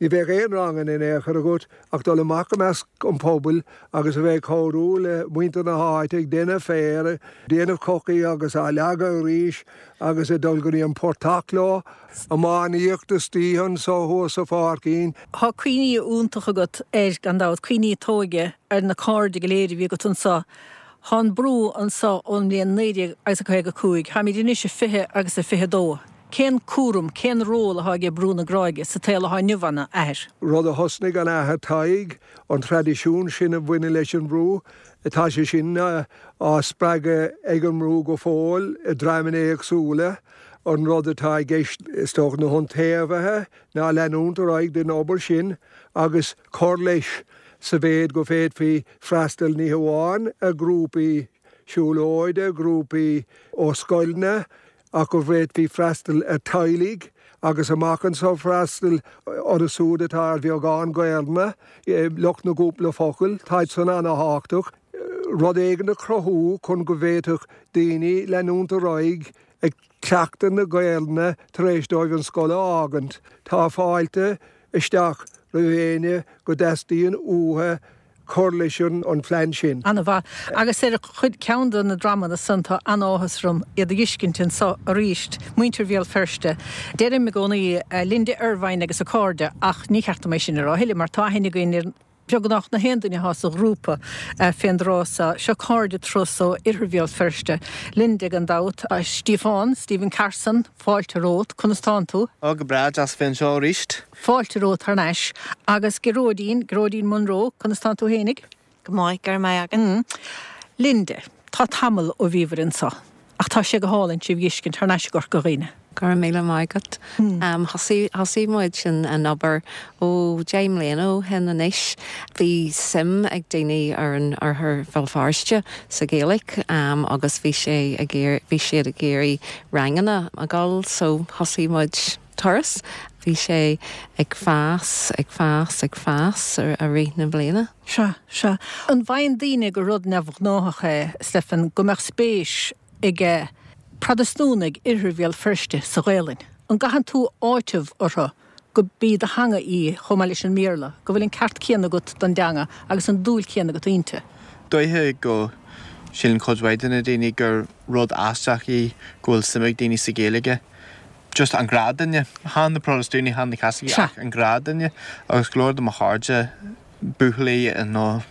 Ní bheadh aon ranganna in aon chor agat ach dul amach i measc an phobail agus a bheith ag cabhrú le muintir na háite ag déanamh féir, ag déanamh cocaí agus á leagadh arís agus ag dul go dtí an portach leo, iománaíocht istoíche anso thuas sa pháircín. Tá cuimhní iontacha agat air, gan dabht, cuimhní t'óige ar na cairde go léir a bhí agat anso. Tá an Brú anso ón mbliain 19 agus a 55. Táimid anois i 20 agus a 22. Cén cúram, cén ról atá aige Brú na Gráige sa tsaol atá inniu ann, a Athair? Rud a thosnaigh an Athair Tadhg, an traidisiún sin a bhaineann leis an mBrú, tá sé sin á spreagadh ag an mBrú go fóill i ndreamanna éagsúla. An rud atá i gceist, is dócha, na hiontaobhaithe ná leanúint ar aghaidh den obair sin agus cur leis sa mhéid go bhféadfaí freastal ní hamháin ar ghrúpaí siúlóide, grúpaí ó scoileanna, ach go bhféadfaí freastal ar teaghlaigh agus amach anseo freastal orthu siúd atá ar bheagán Gaelainne, lucht na gcúpla focal, táid san ana-thábhachtach. Rud éigin a chruthú chun go bhféadfadh daoine leanúint ar aghaidh ag cleachtadh na Gaelainne tar éis dóibh an scoil a fhágaint. Tá fáilte isteach roimh éinne go dteastaíonn uathu cur leis an phlean sin. Ana-mhaith. Agus ar chuid, ceann de na dreamanna san, tá an-áthas orm iad a dh'fheiscint anso arís, muintir Bhéal Feirste. Deirim i gcónaí Linda Ervine agus a cairde ach ní cheart dom é sin a rá a thuilleadh mar tá aithne againn ar beagnach na haon duine atá sa ghrúpa fén dtráth so. Seo cairde turas ó Oirthear Bhéal Feirste. Linda gan dabht, Stiofán, Stephen Carson, fáilte romhat, conas tánn tú? Ó, go breá, deas a bheith anseo arís. Fáilte romhat thar n-ais. Agus Gearóidín, Gearóidín Munroe, conas tánn tú fhéinig? Go maith, go raibh maith agat. Linda, tá tamall ó bhíobhair anso, ach tá sé go hálainn sibh dh'fheiscint thar n-ais i gCorca Dhuibhne. Go raibh míle maith agat. Thosaigh, thosaigh muid an, an obair ó deich mbliana ó shin anois. Bhí suim ag daoine ar an oirthear Bhéal Feirste sa Ghaeilge agus bhí sé ag iarr, bhí siad ag iarraidh ranganna a dhul so thosaigh muid. turas. Bhí sé ag fás, ag fás, ag fás i rith na bliana. Sea, sea. An bhfaigheann daoine gur rud neamhghnáthach é, Stephen, go mbeadh spéis ag Protastúnaigh Oirthear Bhéal Feirste sa Ghaelainn? An gcaitheann tú áiteamh orthu go b'í do theanga í chomh maith leis an mBéarla, go bhfuil an ceart céanna agat don dteanga agus an dúil chéanna agat inti? Dóiche go síleann cuid mhaith de na daoine gur rud aisteach í go bhfuil suim ag daoine sa Ghaeilge. Just an gnáthdhuine. Chan na Protastúnaigh, chan na Caitlicigh ach an gnáthdhuine. Agus go leor de mo chairde, buachaillí nó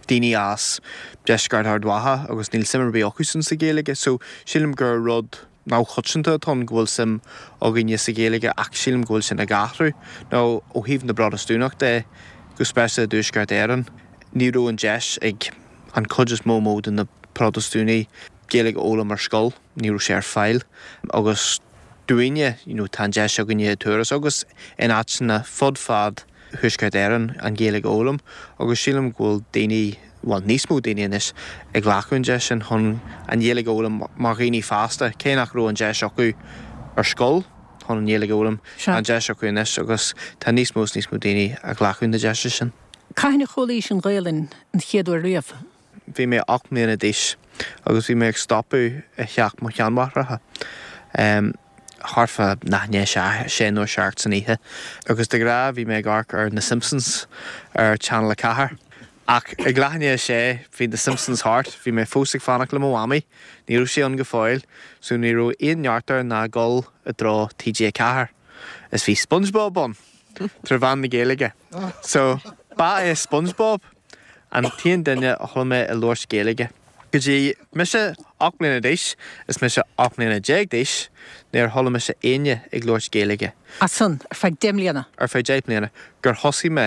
daoine as deisceart Ard Mhacha agus níl suim ar bith acusan sa Ghaeilge. So sílim gur rud neamhchoitianta atá ann go bhfuil suim againne sa Ghaeilge ach sílim go bhfuil sin ag athrú. Nó ó thaobh na bProtastúnach de, go speisialta i dTuaisceart Éireann, ní raibh an deis ag an chuid is mó mó de na Protastúnaigh Gaeilge a fhoghlaim ar scoil, ní raibh sé ar fáil agus dúinne, you know, tá an deis againne i Turas agus in áiteanna fud fad Thuaisceart Éireann an Ghaeilge a fhoghlaim agus sílim go bhfuil daoine, bhuel níos mó daoine anois ag glacadh an deis sin chun an Ghaeilge a fhoghlaim mar dhaoine fásta, cé nach raibh an deis acu ar scoil chun an Ghaeilge a fhoghlaim, tá an deis acu anois agus tá níos mó is níos mó daoine ag glacadh na deise sin. Cathain a chualaís an Ghaelainn an chéad uair riamh? Bhí mé 8 mbliana d'aois agus bhí mé ag stopadh i theach mo sheanmháithreacha thart fá leath i ndiaidh a sé nó a 7 san oíche agus de ghnáth bhí mé ag amharc ar Na Simpsons ar Channel 4. Ach ag leath i ndiaidh a sé bhí Na Simpsons thart, bhí mé fós ag fanacht le mo mhamaí, ní raibh sí ann go fóill so ní raibh aon neart air ná dul i dtreo TG4 is bhí SpongeBob ann tré mheán na Gaeilge so ba é SpongeBob An t-aon duine a chuala mé ag labhairt Gaeilge. Go dtí mise 8 mbliana d'aois is mise 18 mbliana d'aois, níor chuala mise éinne ag labhairt Gaeilge. As san, ar feadh deich mbliana. Ar feadh deich mbliana. Gur thosaigh mé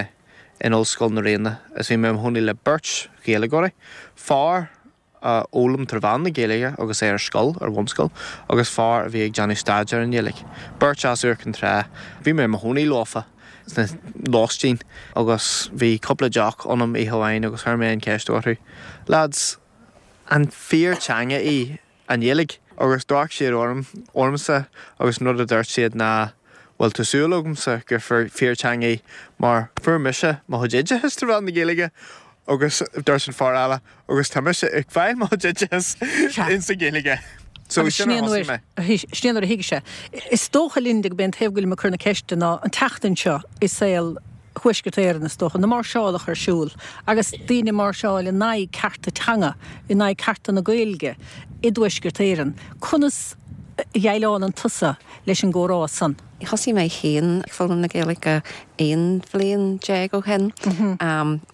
in Ollscoil na Ríona is bhí mé i mo chónaí le beirt Ghaeilgeoirí, fear a fhoghlaim tré mheán na Gaeilge agus é ar scoil, ar bhunscoil, agus fear a bhí ag déanamh staidéar ar an nGaeilge. Beirt as Iúr Cinn Trá. Bhí mé i mo chónaí leofa sna lóistín agus bhí cúpla deoch ionam oíche amháin agus chuir mé an cheist orthu, Lads, an fíor teanga í an Ghaeilge? Agus d'amharc siad orm, ormsa agus an rud a dúirt siad ná, Bhuel, tá súil agamsa gur fíor teanga í mar fuair mise mo chuid oideachais tré mheán na Gaeilge agus dúirt an fear eile, Agus tá mise ag fáil mo chuid oideachais insa Ghaeilge. So sin ar thosaigh mé. Sin é nuair a thuig sé. Is dócha, Linda, gurb é an taobh go bhfuilim ag cur na ceiste ná an tseachtain seo i saol Thuaisceart Éireann, is dócha, na máirseálacha ar siúl agus daoine ag máirseáil in aghaidh cearta teanga, in aghaidh cearta na Gaeilge i dTuaisceart Éireann. Conas a dhéileálann tusa leis an gcomhrá san? Thosaigh mé féin ag foghlaim na Gaeilge 11 bhliain ó shin.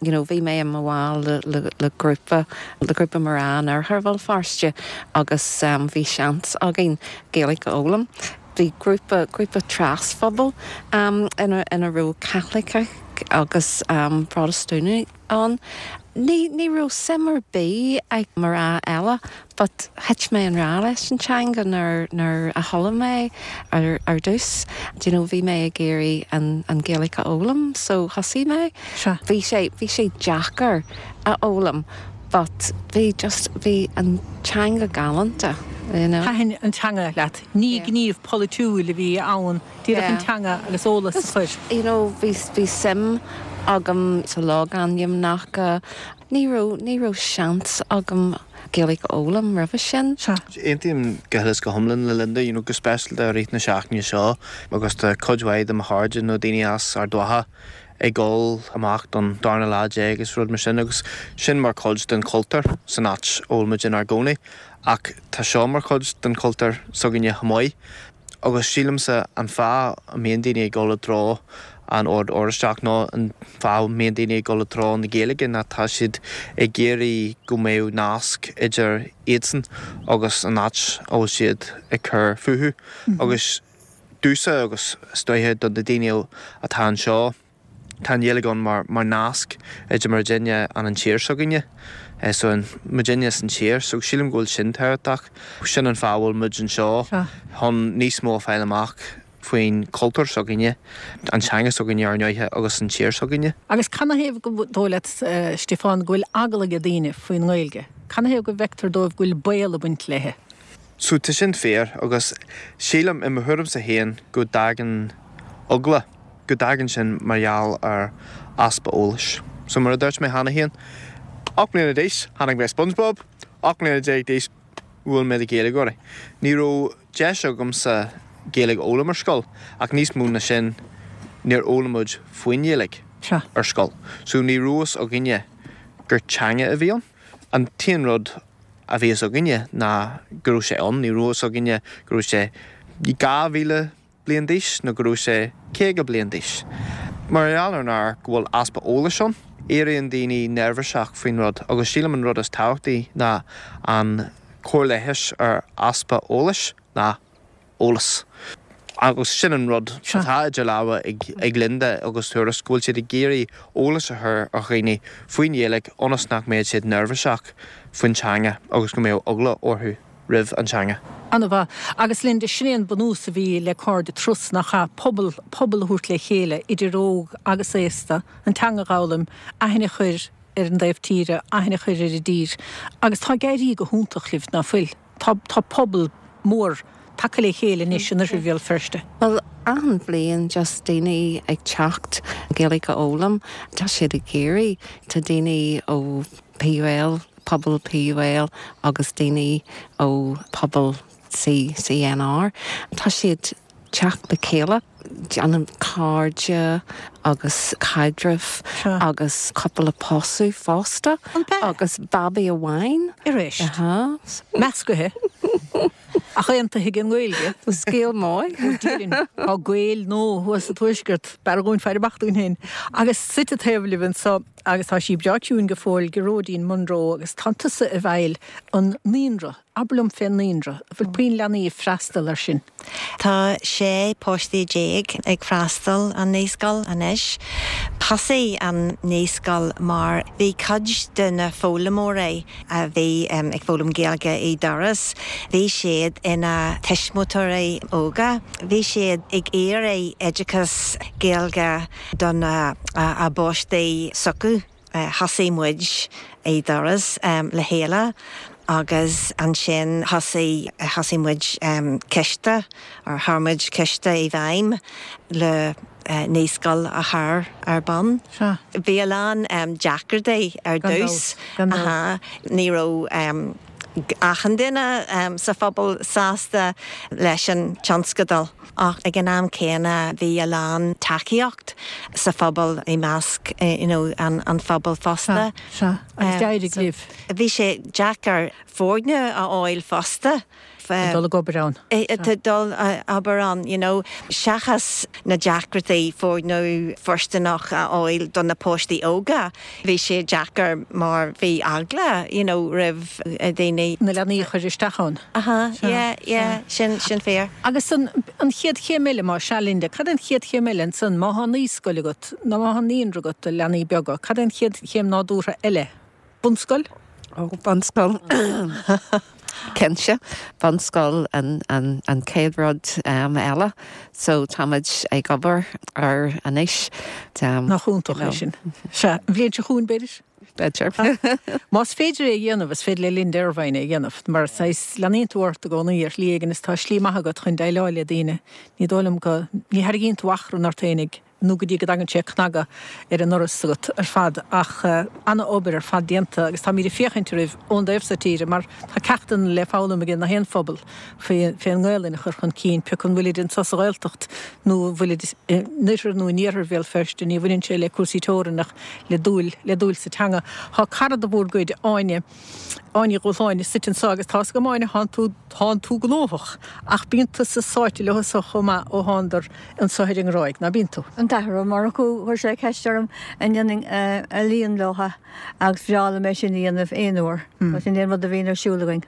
You know, bhí mé i mo bhall le le grúpa, le grúpa mná in oirthear Bhéal Feirste agus bhí seans againn Gaeilge a fhoghlaim. Bhí grúpa, grúpa tras-phobal ina ina raibh Caitlicigh agus Protastúnaigh ann. Ní, ní raibh suim ar bith ag mná eile but thit mé i ngrá leis an teanga nuair, nuair a chuala mé ar, ar dtús. Do you know, bhí mé ag iarraidh an, an Ghaeilge a fhoghlaim so thosaigh mé. Sea. Bhí sé, bhí sé deacair a fhoghlaim but bhí just, bhí an teanga galánta, you know. Thaitin an teanga leat. Ní gníomh polaitiúil a bhí ann. Díreach an teanga agus eolas a chur. You know, bhí, bhí suim agam sa logainmneacha. Ní raibh, ní raibh seans agam Gaeilge a fhoghlaim roimhe sin. Sea. Aontaím go huile is go hiomlán le Linda, you know, go speisialta i rith na seachtaine seo agus tá cuid mhaith de mo chairde nó daoine as Ard Mhacha ag dul amach don darna lá déag is rud mar sin agus sin mar chuid den chultúr san áit a bhfuil muid inár gcónaí ach tá seo mar chuid den chultúr s'againne chomh maith. Agus sílimse an fáth a mbíonn daoine ag dul i dtreo an Ord Oráisteach nó an fáth a mbíonn daoine ag dul i dtreo na Gaeilge ná tá siad ag iarraidh go mbeadh nasc idir iadsan agus an áit a bhfuil siad ag cur fúthu. Agus domhsa agus is dóiche do na daoine atá anseo, Tá an Ghaeilge ann mar mar nasc idir muidinne and an tír s'againne. So an muidinne is an tír. So sílim go bhfuil sin tábhachtach. Sin an fáth a bhfuil muid anseo chun níos mó a fáil amach faoin chultúr s'againne, an teanga s'againne ar ndóighe agus an tír s'againne. Agus canathaobh gur dóigh leat, Stiofán, go bhfuil eagla ag daoine faoin nGaeilge? Canathaobh go bhfeictear dóibh go bhfuil baol ag baint léi? So tá sin fíor agus sílim, i mo thuairimse féin, go dtagann. eagla, go dtagann sin mar gheall ar easpa eolais. So mar a dúirt mé cheana féin, 8 mbliana d'aois, chonaic mé SpongeBob, 18 mbliana d'aois, mhúin mé do Ghaeilgeoirí. Ní raibh deis agamsa Gaeilge a fhoghlaim ar scoil, ach níos mó ná sin, níor fhoghlaim muid faoin Ghaeilge ar scoil. So ní raibh fhios againne gur teanga a bhí ann. An t-aon rud a bhí fhios againne ná go raibh sé ann, ní raibh fhios againne go raibh sé 2,000 bliain d'aois nó go raibh sé 50 bliain d'aois. Mar gheall ar an go bhfuil easpa eolais ann, éiríonn daoine neirbhíseach faoin rud agus sílim an rud is tábhachtaí ná an cóir leighis ar easpa eolais ná eolas. Agus sin an rud atá idir lámha ag Linda agus Tuairisc, go bhfuil siad ag iarraidh eolas a chur ar dhaoine faoin Ghaeilge ionas nach mbeadh siad neirbhíseach faoin teanga agus go mbeadh eagla orthu roimh an teanga. An-mhaith. Agus Linda, sin é an bunús a bhí le Cairde Turas, nach ea? Pobal, pobal a thabhairt le chéile, idir óg agus aosta, an teanga a dh'fhoghlaim, aithne a chur ar an dtaobh tíre, aithne a chur ar an dtír. Agus tá ag éirí go hiontach libh, ná fuil? Tá, tá pobal mór tagtha le chéile anois in oirthear Bhéal Feirste. Bhuel, achan bhliain just daoine ag teacht Gaeilge a fhoghlaim, tá siad ag iarraidh, tá daoine ó PUL, pobal PUL agus daoine ó pobal CCNR, tá siad teacht le chéile, déanamh cairde agus caidreamh agus cúpla pósadh fosta agus babaí amháin. Arís. Meascaithe. Ach aontaithe ag an nGaeilge. Scéal maith. Ó déarfainn, tá Gaeil nua thuas sa Tuaisceart, b'fhearr dhúinn faire amach dúinn féin. Agus suite taobh libh anso, agus tá sí breá ciúin go fóill, Gearóidín Munro, agus tá tusa i bhfeighil an naíonra. Abair liom fén naíonra. An bhfuil puinn leanaí ag freastal air sin? Tá 16 páistí ag freastal an naíscoil anois. Thosaigh an naíscoil mar bhí cuid de na foghlaimeoirí a bhí ag foghlaim Gaeilge i dTuras, bhí siad ina tuismitheoirí óga. Bhí siad ag iarraidh oideachas Gaeilge do na a bpáistí s'acu. Thosaigh muid i dTuras le chéile agus ansin thosaigh thosaigh muid ciste or chuir muid ciste i bhfeidhm le naíscoil a chur ar bun. Bhí a lán deacrachtaí ar dtús. Ní raibh achan duine sa phobal sásta leis an tionscadal ach ag an am céanna bhí a lán tacaíocht sa phobal i measc you know an phobail fosta. Sea, agus d'éirigh libh. Bhí sé deacair foirne a fháil fosta. Ag dul ag obair ann. Ag dul ag obair ann, you know. Seachas na deacrachtaí foirne fóirsteanach a fháil do na páistí óga, bhí sé deacair mar bhí eagla, you know, roimh daoine. Na leanaí a chur isteach ann. Aha, yeah, yeah, sin, sin fíor. Agus an, an chéad chéim eile, más ea, Linda, cad é an chéad chéim eile ansan, má tá naíscoil agat, nó má tá naíonra agat do leanaí beaga, cad é an chéad chéim nádúrtha eile? Bunscoil? Ó, bunscoil. Cinnte, bunscoil an chéad rud eile. So táimid ag obair air anois. Nach iontach é sin. Sea, an bhliain seo chugainn, b'fhéidir? B'fhéidir. Más féidir é a dhéanamh, is féidir le Linda Ervine é a dhéanamh. Mar saghas, leanaíonn tú ort i gcónaí ar shlí éigin is tá slí maith agat chun déileáil le daoine. Ní dóigh liom go, ní tharraingíonn tú achrann ort féinig. nó go dtí go dtagann sé ag cnagadh ar an ndoras agat ar fad, ach ana-obair ar fad déanta agus táimid ag féachaint oraibh ón dtaobh so tíre mar tá ceachtanna le foghlaim ag na haon phobal fén nGaelainn a chur chun cinn, pé acu an bhfuilid anso sa Ghaeltacht nó an bhfuilid in oirthear nó in iarthar Bhéal Feirste, ní bhaineann sé le cúrsaí teorann ach le dúil, le dúil sa teanga. Tá cara de bhúr gcuid, Áine, Áine Ní Dhubhshláine, suite anso agus tá's agam Áine, thánn tú, thánn tú gnóthach ach bíonn tusa sáite leo so chomh maith ó thándar anso ar an nGráig, ná bíonn tú? An tAthair Ó Murchú, chuir sé ceist orm an ndéanfainn ealaíon leo agus bhreá liom é sin a dhéanamh aon uair. Sin é an rud a bhíonn ar siúl againn.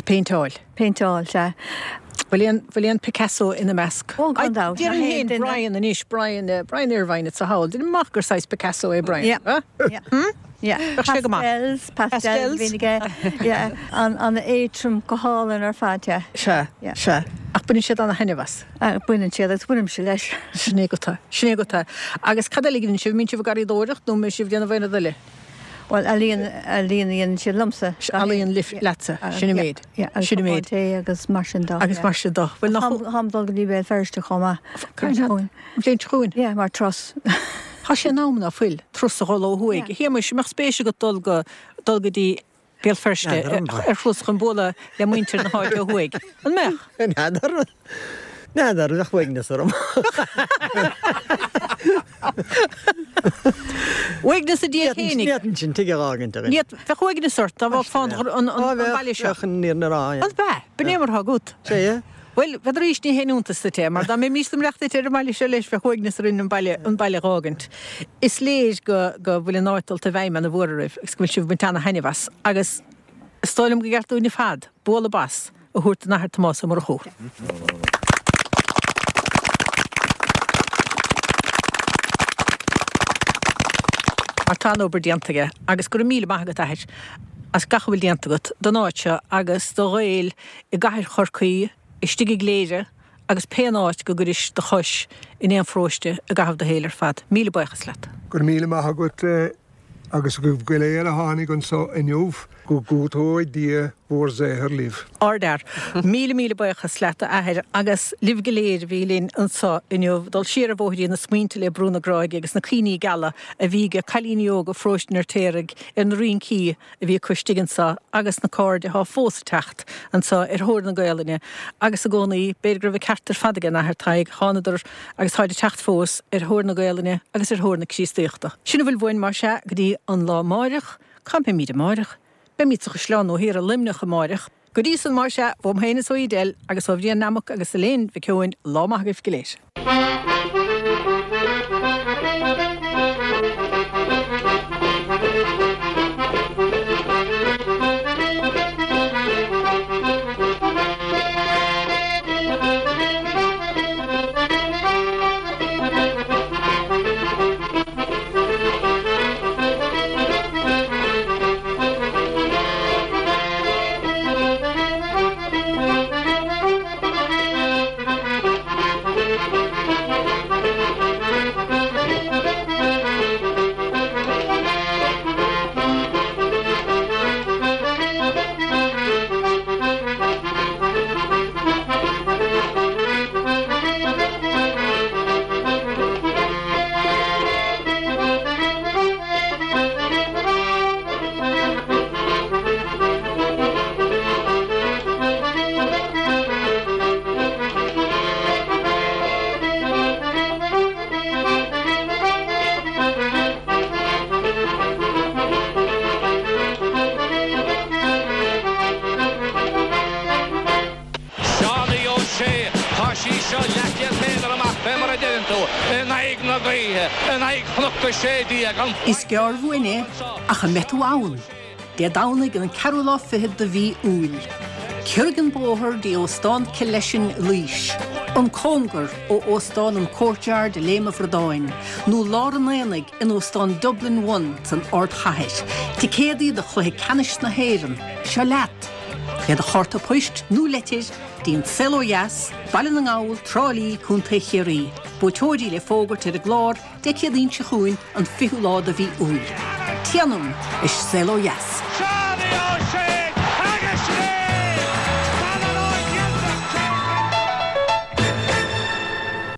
Péinteáil. Péinteáil, sea. Bhfuil aon, bhfuil aon Picasso ina measc? Ó, gan dabht. Déarfainn féin Brian anois, Brian, Brian Irvine atá thall. Deinim amach gur saghas Picasso é Brian. Yeah. Yeah. Hmm? Yeah. Bheadh sé go maith. Pastels, pastels a bhíonn aige. Yeah. An-éadtrom go hálainn ar fad, yeah. Sea, sea. Ach baineann siad ana-thaitneamh as. Baineann siad agus bainimse leis. Sin é go tá. Sin é go tá. Agus cad eile a dhéanann sibh? Mbíonn sibh ag garraíodóireacht nó mbíonn sibh ag déanamh aon rud eile? Bhuel, ealaíon, ealaíon a dhéanann siad liomsa. Ealaíon leatsa, sin an méid. Sin an méid. Tae agus mar sin de. Agus mar sin de. Bhuel, nach. Táim ag dul go dtí Béal Feirste chomh maith. An bhliain seo chugainn? Yeah, mar turas. Tá sé in am ná fuil, turas a dhul ó thuaidh. A Shéamuis, an mbeadh spéis agat dul go, dul go dtí Béal Feirste ar thuras chun bualadh le muintir na háite ó thuaidh? An mbeadh? N'fheadar. N'fheadar, bheadh uaigneas orm. Uaigneas i ndiaidh fhéinig. Ní fhéadfainn sin tigh a dh'fhágaint againn. Bheadh uaigneas ort dá bhfágfá an baile seo. Bheadh, an fhírinne a rá, yeah. An bea? B'in é mar atá agat. Sea, yeah. Bhuel, bheadh arís, ní haon iontas duit é, mar dá mbeimis ag imeacht duit ar an mbaile seo leis, bheadh uaigneas orainn an baile, an baile a dh'fhágaint. Is léir go, go bhfuil an áit dulta i bhfeidhm ana-mhór oraibh agus go bhfuil sibh ag baint ana-thaitneamh as. Agus is dóigh liom gur ceart dúinn ar fad bualadh bos a thabhairt don Athair Tomás Ó Murchú. Mar tá an-obair déanta aige agus go raibh míle maith agat, a Athair, as gach a bhfuil déanta agat don áit seo agus do Ghaeil i gcathair Chorcaí, istigh i gCléire agus pé áit go gcuiris do chois in aon pharóiste i gcaitheamh do shaoil ar fad. Míle buíochas leat. Go raibh míle maith agat agus agaibh go léir a tháinig anso inniu, go gcúiteoidh Dia bhur saothar libh. Ardfhear. Míle míle buíochas leat a Athair agus libh go léir a bhí linn anso inniu. Dul siar ar bhóithrín na smaointe le Brú na Gráige agus na cuimhní geala a bhí ag cailíní óga Pharóiste an Fheirtéaraigh ar na rincí a bhí acu istigh anso agus na cairde atá fós ag teacht anso ar thóir na Gaolainne agus i gcónaí, b'fhéidir go raibh an ceart ar fad ag an Athair Tadhg, thánadar agus táid ag teacht fós ar thóir na Gaolainne agus ar thóir na Críostaíochta. Sin a bhfuil uainn más ea go dtí an lá amáireach. Cá mbeimíd amáireach? Beimíd sa Chaisleán Nua Thiar i Luimneach amáireach. Go dtí san, más ea, uaim féin is ó Edel agus ó Bhrian Nammock agus Elaine Mhic Eoin, lá maith agaibh go léir. Seánie Ó Sé, Tá sí seo leathchéad méadar amach fé mar a deireann tú, in aghaidh na gaoithe, in aghaidh Chnoc 16, an Is gearr uainn é, ach an mbeidh tú ann? Dé Domhnaigh an ceathrú lá fichead de mhí Iúil. Ciorraigh an bóthar dtí Óstán Killeshin i Laois, an cóngar ó Óstán an Courtyard i Léim a' Bhradáin, nó lár an aonaigh in Óstán Dublin One san ardchathair. Ticéadaí do chluiche ceannais na hÉireann, seo leat! Le do chárta poist nó leitir dtí An Saol Ó Dheas, Baile na nGall, Trá Lí, Co. Chiarraí. Buaiteoirí le fógairt ar an gclár Dé Céadaoin seo chugainn, an 20ú lá de mhí Iúil. Téanam is Saol Ó Dheas! Seánie Ó Sé!